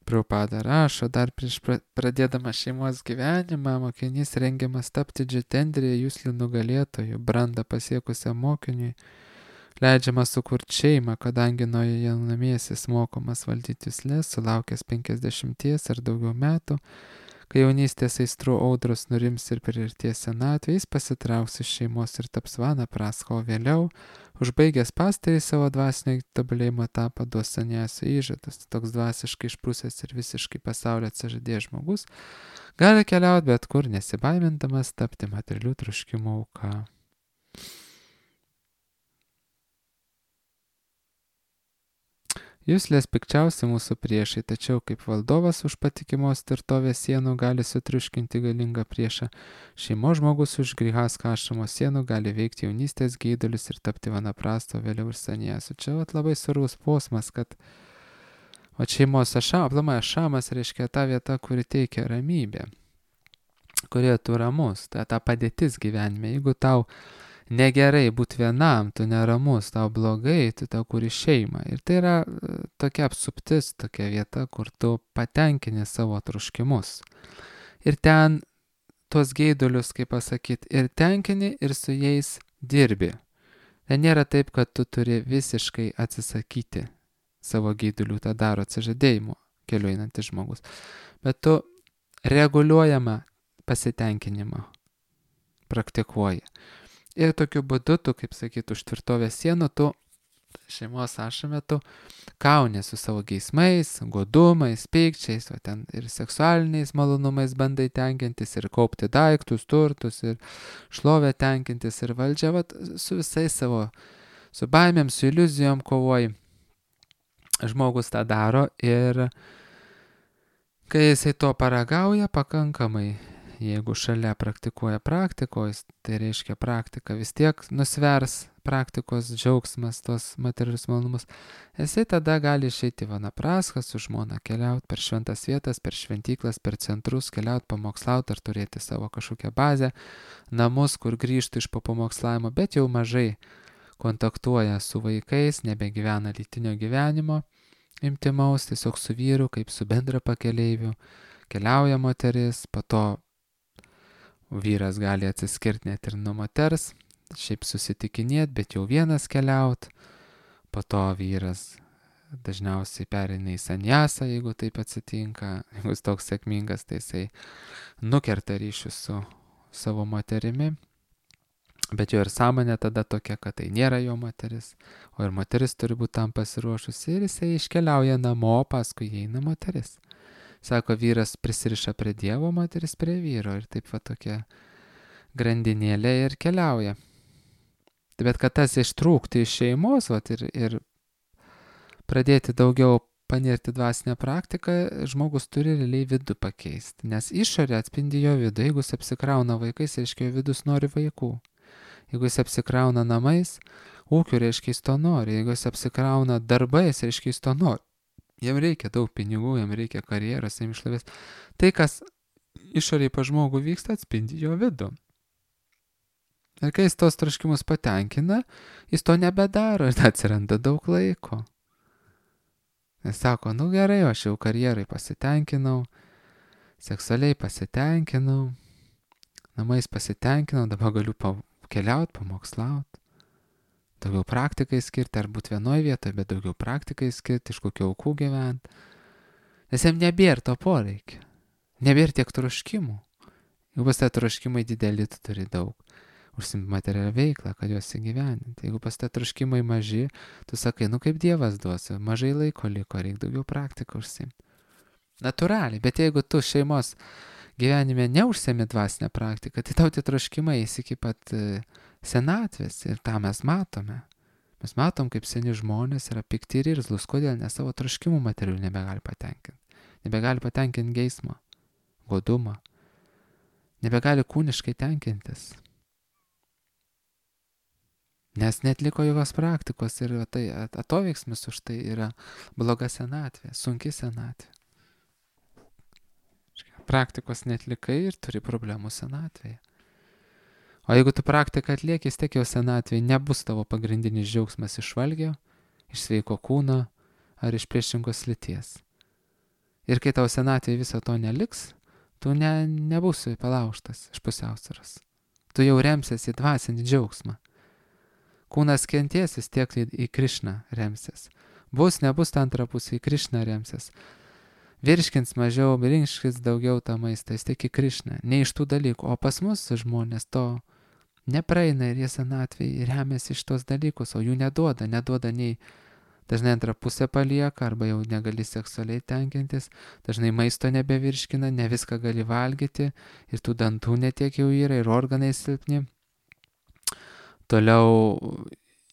Prabhupada rašo, dar prieš pradėdamas šeimos gyvenimą, mokinys rengiamas tapti džitendrija juslių nugalėtojų, brandą pasiekusiam mokiniui, leidžiama sukurti šeimą, kadangi nuo jaunamiesis mokomas valdyti juslės, sulaukęs 50 ar daugiau metų, kai jaunystės aistrų audros nurims ir priartės senatvė, jis pasitrauks iš šeimos ir taps vanapraska, o vėliau, užbaigęs pastarį savo dvasinio tobulėjimo etapą, duos saniasio įžadas. Toks dvasiškai išprusęs ir visiškai pasaulio atsižadėjęs žmogus gali keliauti bet kur, nesibaimindamas tapti materialių troškimų auka. Juslės pikčiausi mūsų priešai, tačiau kaip valdovas už patikimos tvirtovės sienų gali sutriuškinti galingą priešą, šeimos žmogus už grihasko ašramo sienų gali veikti jaunystės geidulius ir tapti vanaprasto, vėliau ir saniasu. Čia labai svarbus posmas, kad šeimos ašamas reiškia ta vieta, kuri teikia ramybę, kurioje tu ramus, ta padėtis gyvenime. Jeigu tau negerai būti vienam, tu neramus, tau blogai, tu tau kuri šeimą. Ir tai yra tokia apsuptis, tokia vieta, kur tu patenkini savo troškimus. Ir ten tuos geidulius, kaip pasakyti, ir tenkini, ir su jais dirbi. Tai nėra taip, kad tu turi visiškai atsisakyti savo geidulių, tą daro atsižadėjimo keliu einantis žmogus. Bet tu reguliuojamą pasitenkinimą praktikuoji. Ir tokiu būdu tu, kaip sakyti, už tvirtovės sienų, tu šeimos ašame tu kauni su savo geismais, godumais, pykčiais, o ten ir seksualiniais malonumais bandai tenkintis, ir kaupti daiktus, turtus, ir šlovę tenkintis, ir valdžią, su visais savo, su baimėm, su iliuzijom kovoji. Žmogus tą daro ir kai jisai to paragauja pakankamai, jeigu šalia praktikuoja praktikos, tai reiškia praktika vis tiek nusvers praktikos džiaugsmas, tos materialius malonumus, jisai tada gali išeiti vanapraską su žmona, keliauti per šventas vietas, per šventyklas, per centrus, keliauti pamokslauti ar turėti savo kažkokią bazę, namus, kur grįžtų iš pamokslavimo, bet jau mažai kontaktuoja su vaikais, nebegyvena lytinio gyvenimo, intymaus, tiesiog su vyru, kaip su bendra pakeleiviu, keliauja moteris, po to vyras gali atsiskirti net ir nuo moters, šiaip susitikinėti, bet jau vienas keliaut, po to vyras dažniausiai pereina į sanjasą, jeigu taip atsitinka, jeigu jis toks sėkmingas, tai jisai nukerta ryšius su savo moterimi, bet jo ir sąmonė tada tokia, kad tai nėra jo moteris, o ir moteris turi būti tam pasiruošusi ir jisai iškeliauja namo, paskui eina moteris. Sako, vyras prisiriša prie Dievo, moteris prie vyro ir taip va tokia grandinėlė ir keliauja. Bet kad tas ištrūkti iš šeimos ir pradėti daugiau panirti dvasinę praktiką, žmogus turi realiai vidų pakeisti, nes išorė atspindi jo vidų. Jeigu jis apsikrauna vaikais, reiškia, jo vidus nori vaikų. Jeigu jis apsikrauna namais, ūkiu, reiškia, jis to nori. Jeigu jis apsikrauna darbais, reiškia, jis to nori. Jam reikia daug pinigų, jam reikia karjeros, jam išlavės. Tai, kas išoriai pa žmogų vyksta, atspindi jo vidų. Ir kai jis tos troškimus patenkina, jis to nebedaro ir atsiranda daug laiko. Jis sako, gerai, aš jau karjerai pasitenkinau, seksualiai pasitenkinau, namais pasitenkinau, dabar galiu keliauti, pamokslauti. Daugiau praktikai skirti, ar būti vienoje vietoje, bet daugiau praktikai skirti, iš kokių aukų gyventi. Nes jam nebėra to poreikio. Nebėra tiek troškimų. Jeigu pas tą troškimai dideli, tu turi daug. Užsimti materialią veiklą, kad juos įgyvendinti. Jeigu pas tą troškimai maži, tu sakai, kaip Dievas duosi, mažai laiko liko, reikia daugiau praktiką užsimti. Natūraliai, bet jeigu tu šeimos gyvenime neužsiemi dvasinę praktiką, tai tau tie troškimai eis iki pat senatvės ir tą mes matome. Mes matom, kaip seni žmonės yra pikti ir irzlus, kodėl, nes savo troškimų materialių nebegali patenkinti. Nebegali patenkinti geismą, godumą. Nebegali kūniškai tenkintis. Nes netliko jokios praktikos ir tai atoveiksmis už tai yra bloga senatvė, sunki senatvė. Praktikos netlikai ir turi problemų senatvėje. O jeigu tu praktiką atlieki, vis tiek jau senatvėje nebus tavo pagrindinis džiaugsmas iš valgio, iš sveiko kūno ar iš priešingos lyties. Ir kai tau senatvėje viso to neliks, tu nebūsi palaužtas iš pusiausvyros. Tu jau remsies į dvasinį džiaugsmą, Kūnas kenties, vis tiek į Krišną remsis. Bus, nebus ta antra pusė, į Krišną remsis. Virškins mažiau, virškins daugiau tą maistą, vis tiek į Krišną. Ne iš tų dalykų. O pas mus žmonės to nepraeina ir jie senatvėje remiasi iš tos dalykus, o jų neduoda nei dažnai antrą pusę palieka, arba jau negali seksualiai tenkintis, dažnai maisto nebevirškina, ne viską gali valgyti ir tų dantų netiek jau yra ir organai silpni. Toliau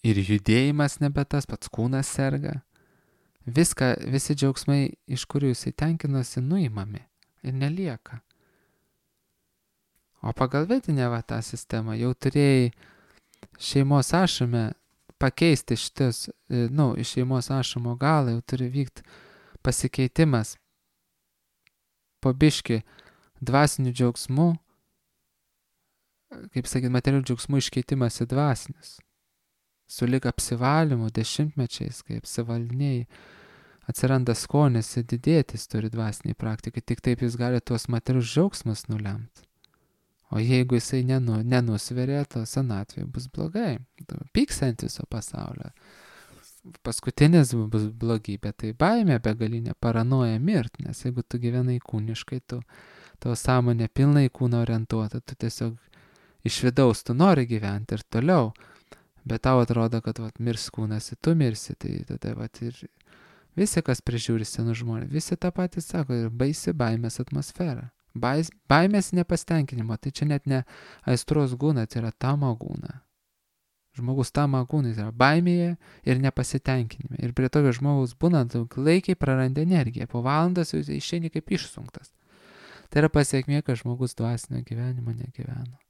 ir judėjimas nebe tas, pats kūnas serga. Visi džiaugsmai, iš kurių jisai tenkinosi, nuimami ir nelieka. O pagal vedinę tą sistemą jau turėjai šeimos ašrame pakeisti šitas, iš šeimos ašramo galą jau turi vykti pasikeitimas po biškį dvasinių džiaugsmų, kaip sakyti, materialių džiaugsmų iškeitimas į dvasinius. Sulig apsivalymu dešimtmečiais, kai apsivaldiniai atsiranda skonis ir didėtis turi dvasiniai praktikai, tik taip jis gali tuos materialius džiaugsmus nulemti. O jeigu jisai nenusveria, to senatvėje bus blogai. Pyks ant viso pasaulio. Paskutinis bus blogybė, tai baimė begalinė, paranoja mirti, nes jeigu tu gyvenai kūniškai, tavo sąmonė pilnai kūno orientuota, tu tiesiog iš vidaus tu nori gyventi ir toliau, bet tau atrodo, kad mirs kūnas ir tu mirsi, tai tada ir visi, kas prižiūri senų žmonės, visi tą patį sako, ir baisi baimės atmosfera. Baimės nepastenkinimo, tai čia net ne aistros gūna, tai yra tamo gūna. Žmogus tamo gūna, tai yra baimėje ir nepasitenkinime. Ir prie tokio žmogaus būnant, laikiai praranda energiją, po valandas jūs išeini kaip išsunktas. Tai yra pasiekmė, kad žmogus dvasinio gyvenimo negyveno.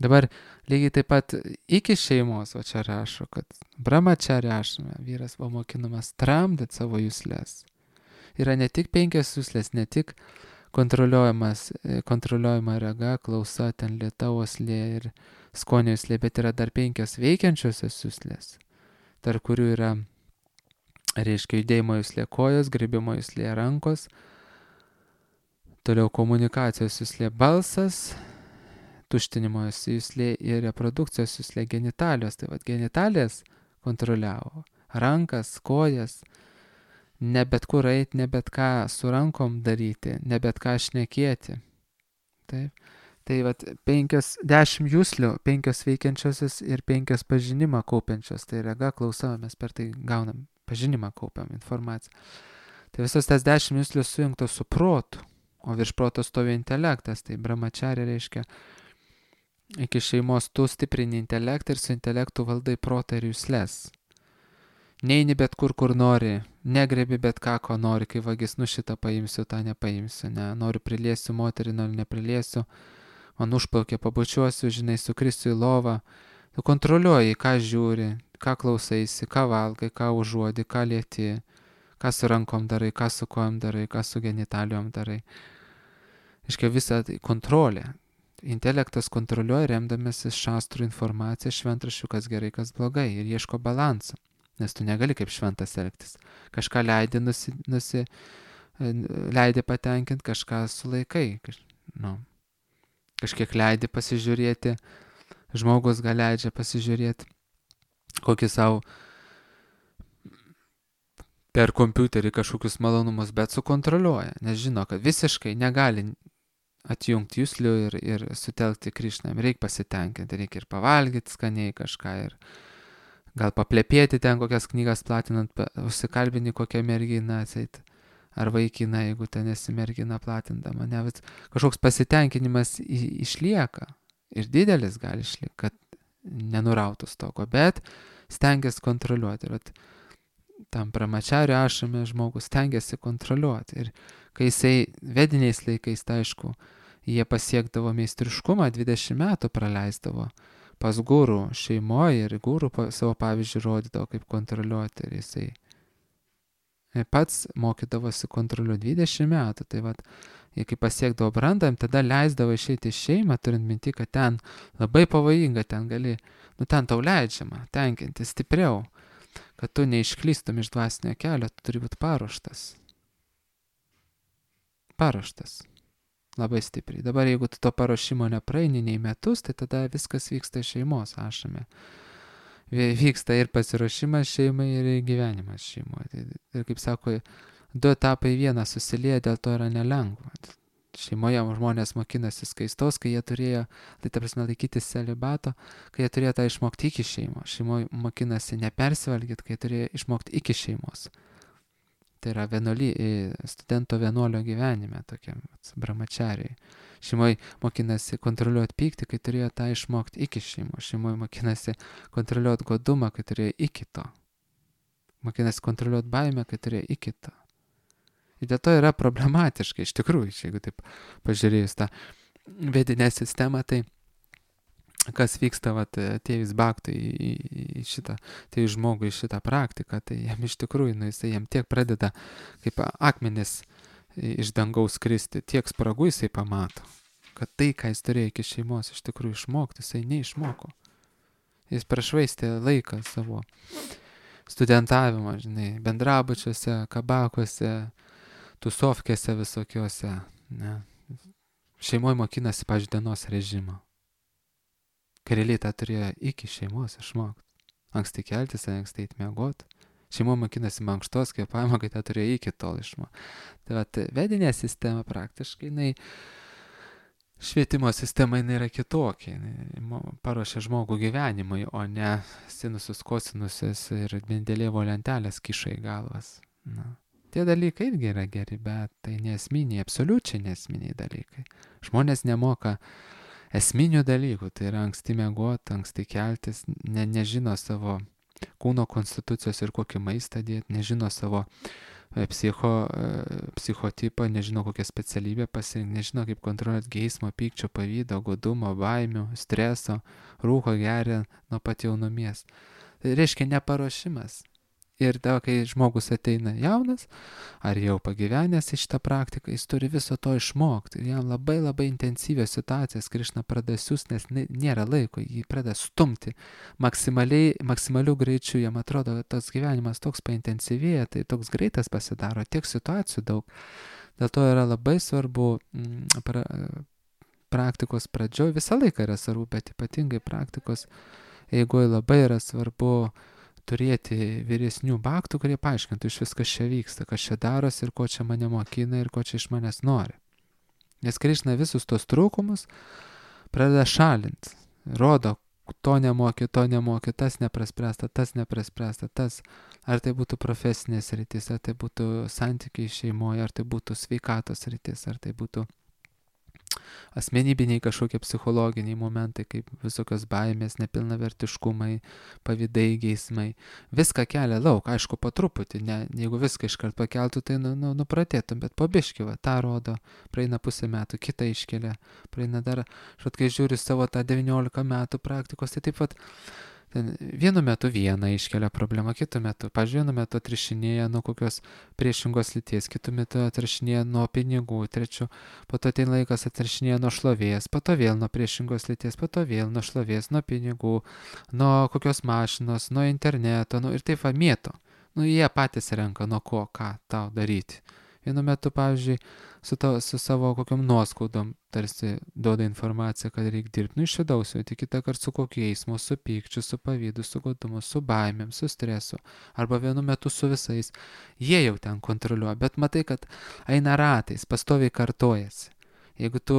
Dabar lygiai taip pat iki šeimos, o čia rašo, kad brahmachari ašrame, vyras buvo mokinamas tramdyti savo juslės. Yra ne tik 5 juslės, ne tik kontroliuojama rega, klausa, ten lėta uoslė ir skonio juslė, bet yra dar 5 veikiančiosios juslės, tarp kurių yra, reiškia, judėjimo juslė kojos, grybimo juslė rankos, toliau komunikacijos juslė balsas, tuštinimo juslė ir reprodukcijos juslė genitalijos. Tai genitalijas kontroliavo rankas, kojas, ne bet kur eiti, ne bet ką su rankom daryti, ne bet ką šnekėti. Taip. Tai 10 juslių, 5 veikiančiosios ir 5 pažinimą kaupiančios. Tai rega, klausa, mes per tai gaunam pažinimą, kaupiam informaciją. Tai visos tas 10 juslių sujungtos su protu, o virš proto stovi intelektas. Tai brahmachari reiškia, iki šeimos tu stiprini intelektą ir su intelektu valdai protą ir jusles. Neini bet kur nori, negrebi bet ką, ko nori, kai vagis, šitą paimsiu, tą nepaimsiu, ne, noriu priliesiu moterį, noriu nepriliesiu, man užplaukė, pabučiuosiu, žinai, sukrisiu į lovą. Tu kontroliuoji, ką žiūri, ką klausaisi, ką valgai, ką užuodi, ką lieti, ką su rankom darai, ką su kojom darai, ką su genitalijom darai. Iškia visą kontrolę. Intelektas kontroliuoja remdamasis šastrų informaciją, šventraščių, kas gerai, kas blogai, ir ieško balansą. Nes tu negali kaip šventas elgtis. Kažką leidi patenkinti, kažką sulaikai. Kažkiek leidi pasižiūrėti, žmogus gal leidžia pasižiūrėti kokį savo per kompiuterį kažkokius malonumus, bet sukontroliuoja, nes žino, kad visiškai negali atjungti juslių ir sutelkti Krišną. Reikia pasitenkinti, reikia ir pavalgyti skaniai kažką ir gal paplepėti ten kokias knygas platinant, užsikalbini kokią merginą atseit, ar vaikiną, jeigu ten esi mergina platindama. Ne, kažkoks pasitenkinimas išlieka ir didelis gali išlieka, kad nenurautų stoko, bet stengiasi kontroliuoti. Ir tam brahmachari ašrame žmogus stengiasi kontroliuoti. Ir kai jisai vediniais laikais, tai aišku, jie pasiekdavo meistriškumą, 20 metų praleisdavo pas gurų šeimoje ir gurų savo pavyzdžių rodydavo, kaip kontroliuoti. Ir jisai pats mokydavosi kontroliuoti 20 metų. Tai jie kai pasiekdavo brandą, tada leisdavo išeiti iš šeimą, turint minti, kad ten labai pavojinga, ten gali, ten tau leidžiama tenkinti stipriau, kad tu neišklystum iš dvasinio kelio, tu turi būti paruoštas. Labai stipriai. Dabar jeigu tu to paruošimo nepraeini nei metus, tai tada viskas vyksta šeimos ašame. Vyksta ir pasiruošimas šeimai, ir gyvenimas šeimoje. Ir kaip sako, 2 etapai vieną susilieja, dėl to yra nelengva. Šeimoje žmonės mokinasi skaistos, kai jie turėjo, tai ta prasme laikytis celibato, kai jie turėjo tą išmokti iki šeimos. Šeimoje mokinasi nepersivalgyti, kai turėjo išmokti iki šeimos. Tai yra studento vienuolio gyvenime, tokiam brahmachariai. Šeimoje mokinasi kontroliuoti pyktį, kai turėjo tą išmokti iki šeimos. Šeimoje mokinasi kontroliuoti godumą, kai turėjo iki to. Mokinasi kontroliuoti baimę, kai turėjo iki to. Ir dėl to yra problematiška, iš tikrųjų, jeigu taip pažiūrėjus tą vedinę sistemą, tai kas vyksta atėjus bhaktui į šitą, tai žmogui šitą praktiką, tai jam iš tikrųjų, jisai jam tiek pradeda kaip akmenis iš dangaus kristi, tiek spragų jisai pamato, kad tai, ką jis turėjo iki šeimos iš tikrųjų išmokti, jisai neišmoko. Jis prašvaistė laiką savo studentavimą, bendrabučiuose, kabakuose, tusovkėse visokiuose, ne. Šeimoje mokinasi, pavyzdžiui, dienos režimo. Kareliai tą turėjo iki šeimos išmokti. Anksti keltis, anksti eiti miegoti. Šeimoje mokinasi mankštos kvėpavimo, kai tą turėjo iki tol išmokti. Tai vedinė sistema praktiškai, švietimo sistema yra kitokia. Paruošia žmogų gyvenimui, o ne sinusus, kosinusus ir Mendelejevo lentelės kiša į galvas. Tie dalykai irgi yra geri, bet tai nesminiai, absoliučiai nesminiai dalykai. Žmonės nemoka esminių dalykų, tai yra anksti miegoti, anksti keltis, nežino savo kūno konstitucijos ir kokį maistą dėti, nežino savo psichotipą, nežino kokią specialybę pasirinkti, nežino kaip kontroliuoti geismo, pykčio, pavydo, godumo, baimių, streso, rūko geria nuo pat jaunumies. Tai reiškia neparuošimas. Ir tada, kai žmogus ateina jaunas, ar jau pagyvenęs į šitą praktiką, jis turi viso to išmokti. Ir jam labai labai intensyvios situacijas Krišna pradeda siųsti, nes nėra laiko, jį pradeda stumti maksimaliu greičiu. Jam atrodo, kad tas gyvenimas toks paintensyvėja, tai toks greitas pasidaro, tiek situacijų daug. Dėl to yra labai svarbu praktikos pradžioj, visą laiką yra svarbu, bet ypatingai praktikos eigoje labai yra svarbu turėti vyresnių bhaktų, kurie paaiškintų iš viskas čia vyksta, kas čia darosi ir ko čia mane mokina ir ko čia iš manęs nori. Nes Krišna visus tos trūkumus pradeda šalinti. Rodo, to nemoki, tas nepraspręsta, tas. Ar tai būtų profesinės rytis, ar tai būtų santykiai šeimoje, ar tai būtų sveikatos rytis, ar tai būtų asmenybiniai kažkokie psichologiniai momentai, kaip visokios baimės, nepilnavertiškumai, pavydai, geismai. Viską kelia lauk, aišku, po truputį, jeigu viską iškart pakeltų, tai nupratėtum, bet po biškį, tą rodo, praeina pusę metų, kitą iškelia, praeina dar, kai žiūri savo tą 19 metų praktikos, tai taip pat vienu metu vieną iškelia problemą, kitu metu, vienu metu atrišinėja nuo kokios priešingos lyties, kitu metu atrišinėja nuo pinigų, trečiu, po to ateina laikas atrišinėja nuo šlovės, po to vėl nuo priešingos lyties, po to vėl nuo šlovės, nuo pinigų, nuo kokios mašinos, nuo interneto, ir taip mėto. Jie patys renka, nuo ko, ką tau daryti. Vienu metu, pavyzdžiui, su savo kokiam nuoskaudom tarsi duoda informaciją, kad reikia dirbti. Iš vidaus, tai kitą kartą su kokiu eismu, su pykčiu, su pavydu, su godumu, su baimėm, su stresu. Arba vienu metu su visais. Jie jau ten kontroliuoja, bet matai, kad eina ratais, pastoviai kartojasi. Jeigu tu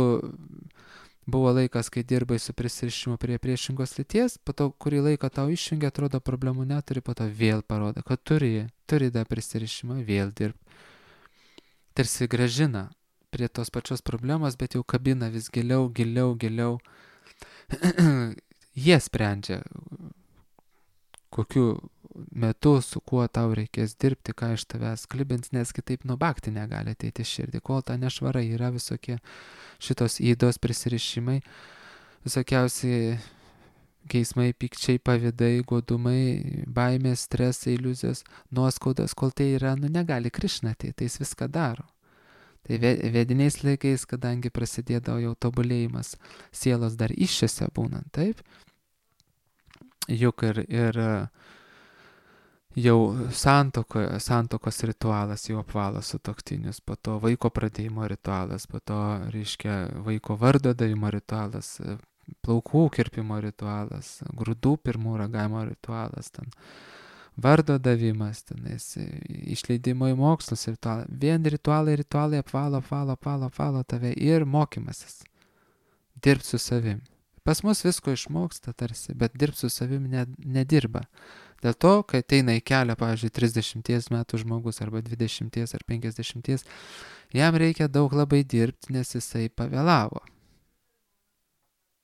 buvo laikas, kai dirbai su prisirišimu prie priešingos lyties, po to kurį laiką tau išjungia, atrodo problemų neturi, po to vėl parodo, kad turi dar prisirišimą, vėl dirbti. Tarsi gražina prie tos pačios problemos, bet jau kabina vis giliau. Jie sprendžia, kokiu metu, su kuo tau reikės dirbti, ką iš tavęs klibins, nes kitaip nuo bhakti negali ateiti širdį. Kol ta nešvara yra visokie šitos įdos prisirišimai, visokiausi geismai, pykčiai, pavydai, godumai, baimės, stresai, iliuzijos, nuoskaudas, kol tai yra, negali Krišna ateiti, tai jis viską daro. Tai vediniais laikais, kadangi prasidėdavo jau tobulėjimas sielos dar iššiose būnant, taip, juk ir jau santokos ritualas jau apvalo sutuoktinius, po to vaiko pradėjimo ritualas, po to, reiškia, vaiko vardo davimo ritualas, plaukų kirpimo ritualas, grūdų pirmų ragavimo ritualas, ten vardo davimas, tenais išleidimo į mokslus ritualai. Vien ritualai apvalo tave ir mokymasis. Dirbt su savim. Pas mus visko išmoksta tarsi, bet dirbt su savim nedirba. Dėl to, kai ateina į kelią, pavyzdžiui, 30 metų žmogus arba 20 ar 50, jam reikia daug labai dirbti, nes jisai pavėlavo.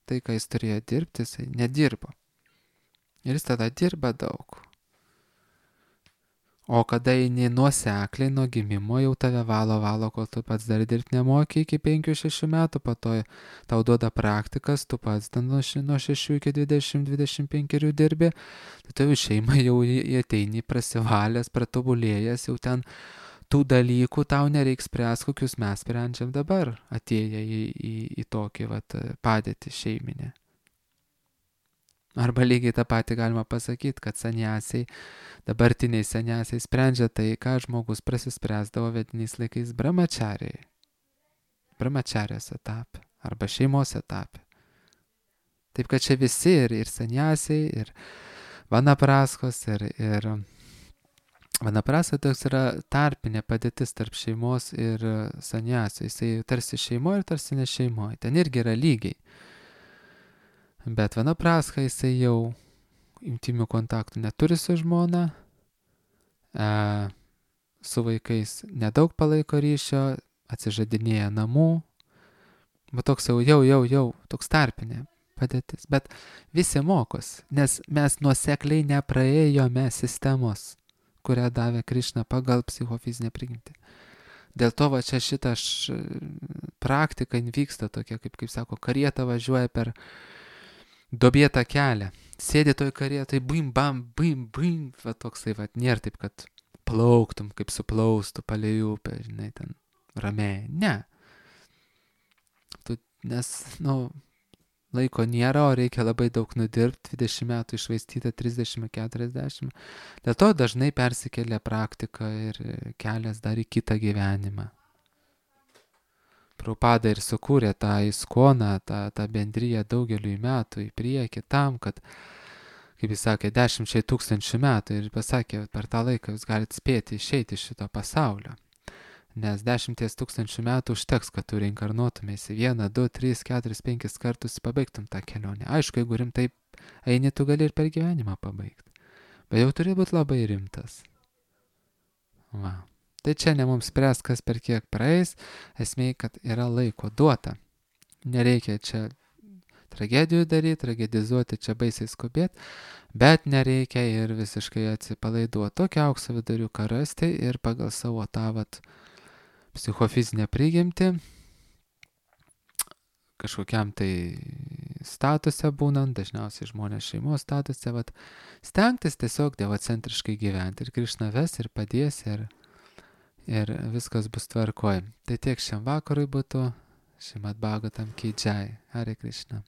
Tai, ką jis turėjo dirbti, jisai nedirbo. Ir jis tada dirba daug. O kada eini nuosekliai nuo gimimo, jau tave valo, kol tu pats dar dirbti nemoki iki 5-6 metų, po to tau duoda praktikas, tu pats ten nuo 6 iki 20-25 dirbi, tai tu šeimą jau ateini prasivalęs, pratobulėjęs, jau ten tų dalykų tau nereiks spręs, kokius mes sprendžiam dabar, atėję į tokį padėtį šeiminę. Arba lygiai tą patį galima pasakyti, kad saniasiai, dabartiniai saniasiai sprendžia tai, ką žmogus prasispręsdavo vediniais laikais brahmačarijos etape arba šeimos etape. Taip kad čia visi ir saniasiai, ir vanapraskos, ir vanaprasa toks yra tarpinė padėtis tarp šeimos ir saniasio. Jisai tarsi šeimoje ir tarsi ne šeimoje. Ten irgi yra lygiai. Bet vanapraska jisai jau intimių kontaktų neturi su žmona, su vaikais nedaug palaiko ryšio, atsižadinėja namų, bet toks jau toks tarpinė padėtis. Bet visi mokos, nes mes nuosekliai nepraėjome sistemos, kurią davė Krišna pagal psichofizinę prigimtį. Dėl to čia šita praktika vyksta tokia, kaip sako, karieta važiuoja per duobėtą kelią. Sėdi toj karietoj, bim, bam, bim, toksai, nėra taip, kad plauktum, kaip suplaustų palei upę, žinai, ten ramiai. Ne. Nes, laiko nėra, o reikia labai daug nudirbti, 20 metų išvaistyta, 30-40. Dėl to dažnai persikelia praktika ir kelias dar į kitą gyvenimą. Prabhupada ir sukūrė tą iskoną, tą bendriją daugeliui metų į priekį tam, kad, kaip jis sakė, 10 000 metų ir pasakė, per tą laiką jūs galite spėti išeiti iš šito pasaulio. Nes 10 000 metų užteks, kad tu reinkarnuotumėsi 1, 2, 3, 4, 5 kartus pabaigtum tą kelionę. Aišku, jeigu rimtai eini, tu gali ir per gyvenimą pabaigti. Bet jau turi būti labai rimtas. Va. Tai čia ne mums spręs, kas per kiek praeis, esmė, kad yra laiko duota. Nereikia čia tragedijų daryti, tragedizuoti, čia baisiai skubėti, bet nereikia ir visiškai atsipalaiduoti. Tokią aukso viduriuką rasti ir pagal savo tą psichofizinę prigimtį, kažkokiam tai statuse būnant, dažniausiai žmonės šeimos statuse, stengtis tiesiog devocentriškai gyventi. Ir Krišna ves ir padės ir viskas bus tvarkoj. Tai tiek šiam vakarui būtų. Šrimad Bhagavatam ki jai. Hare Krishna.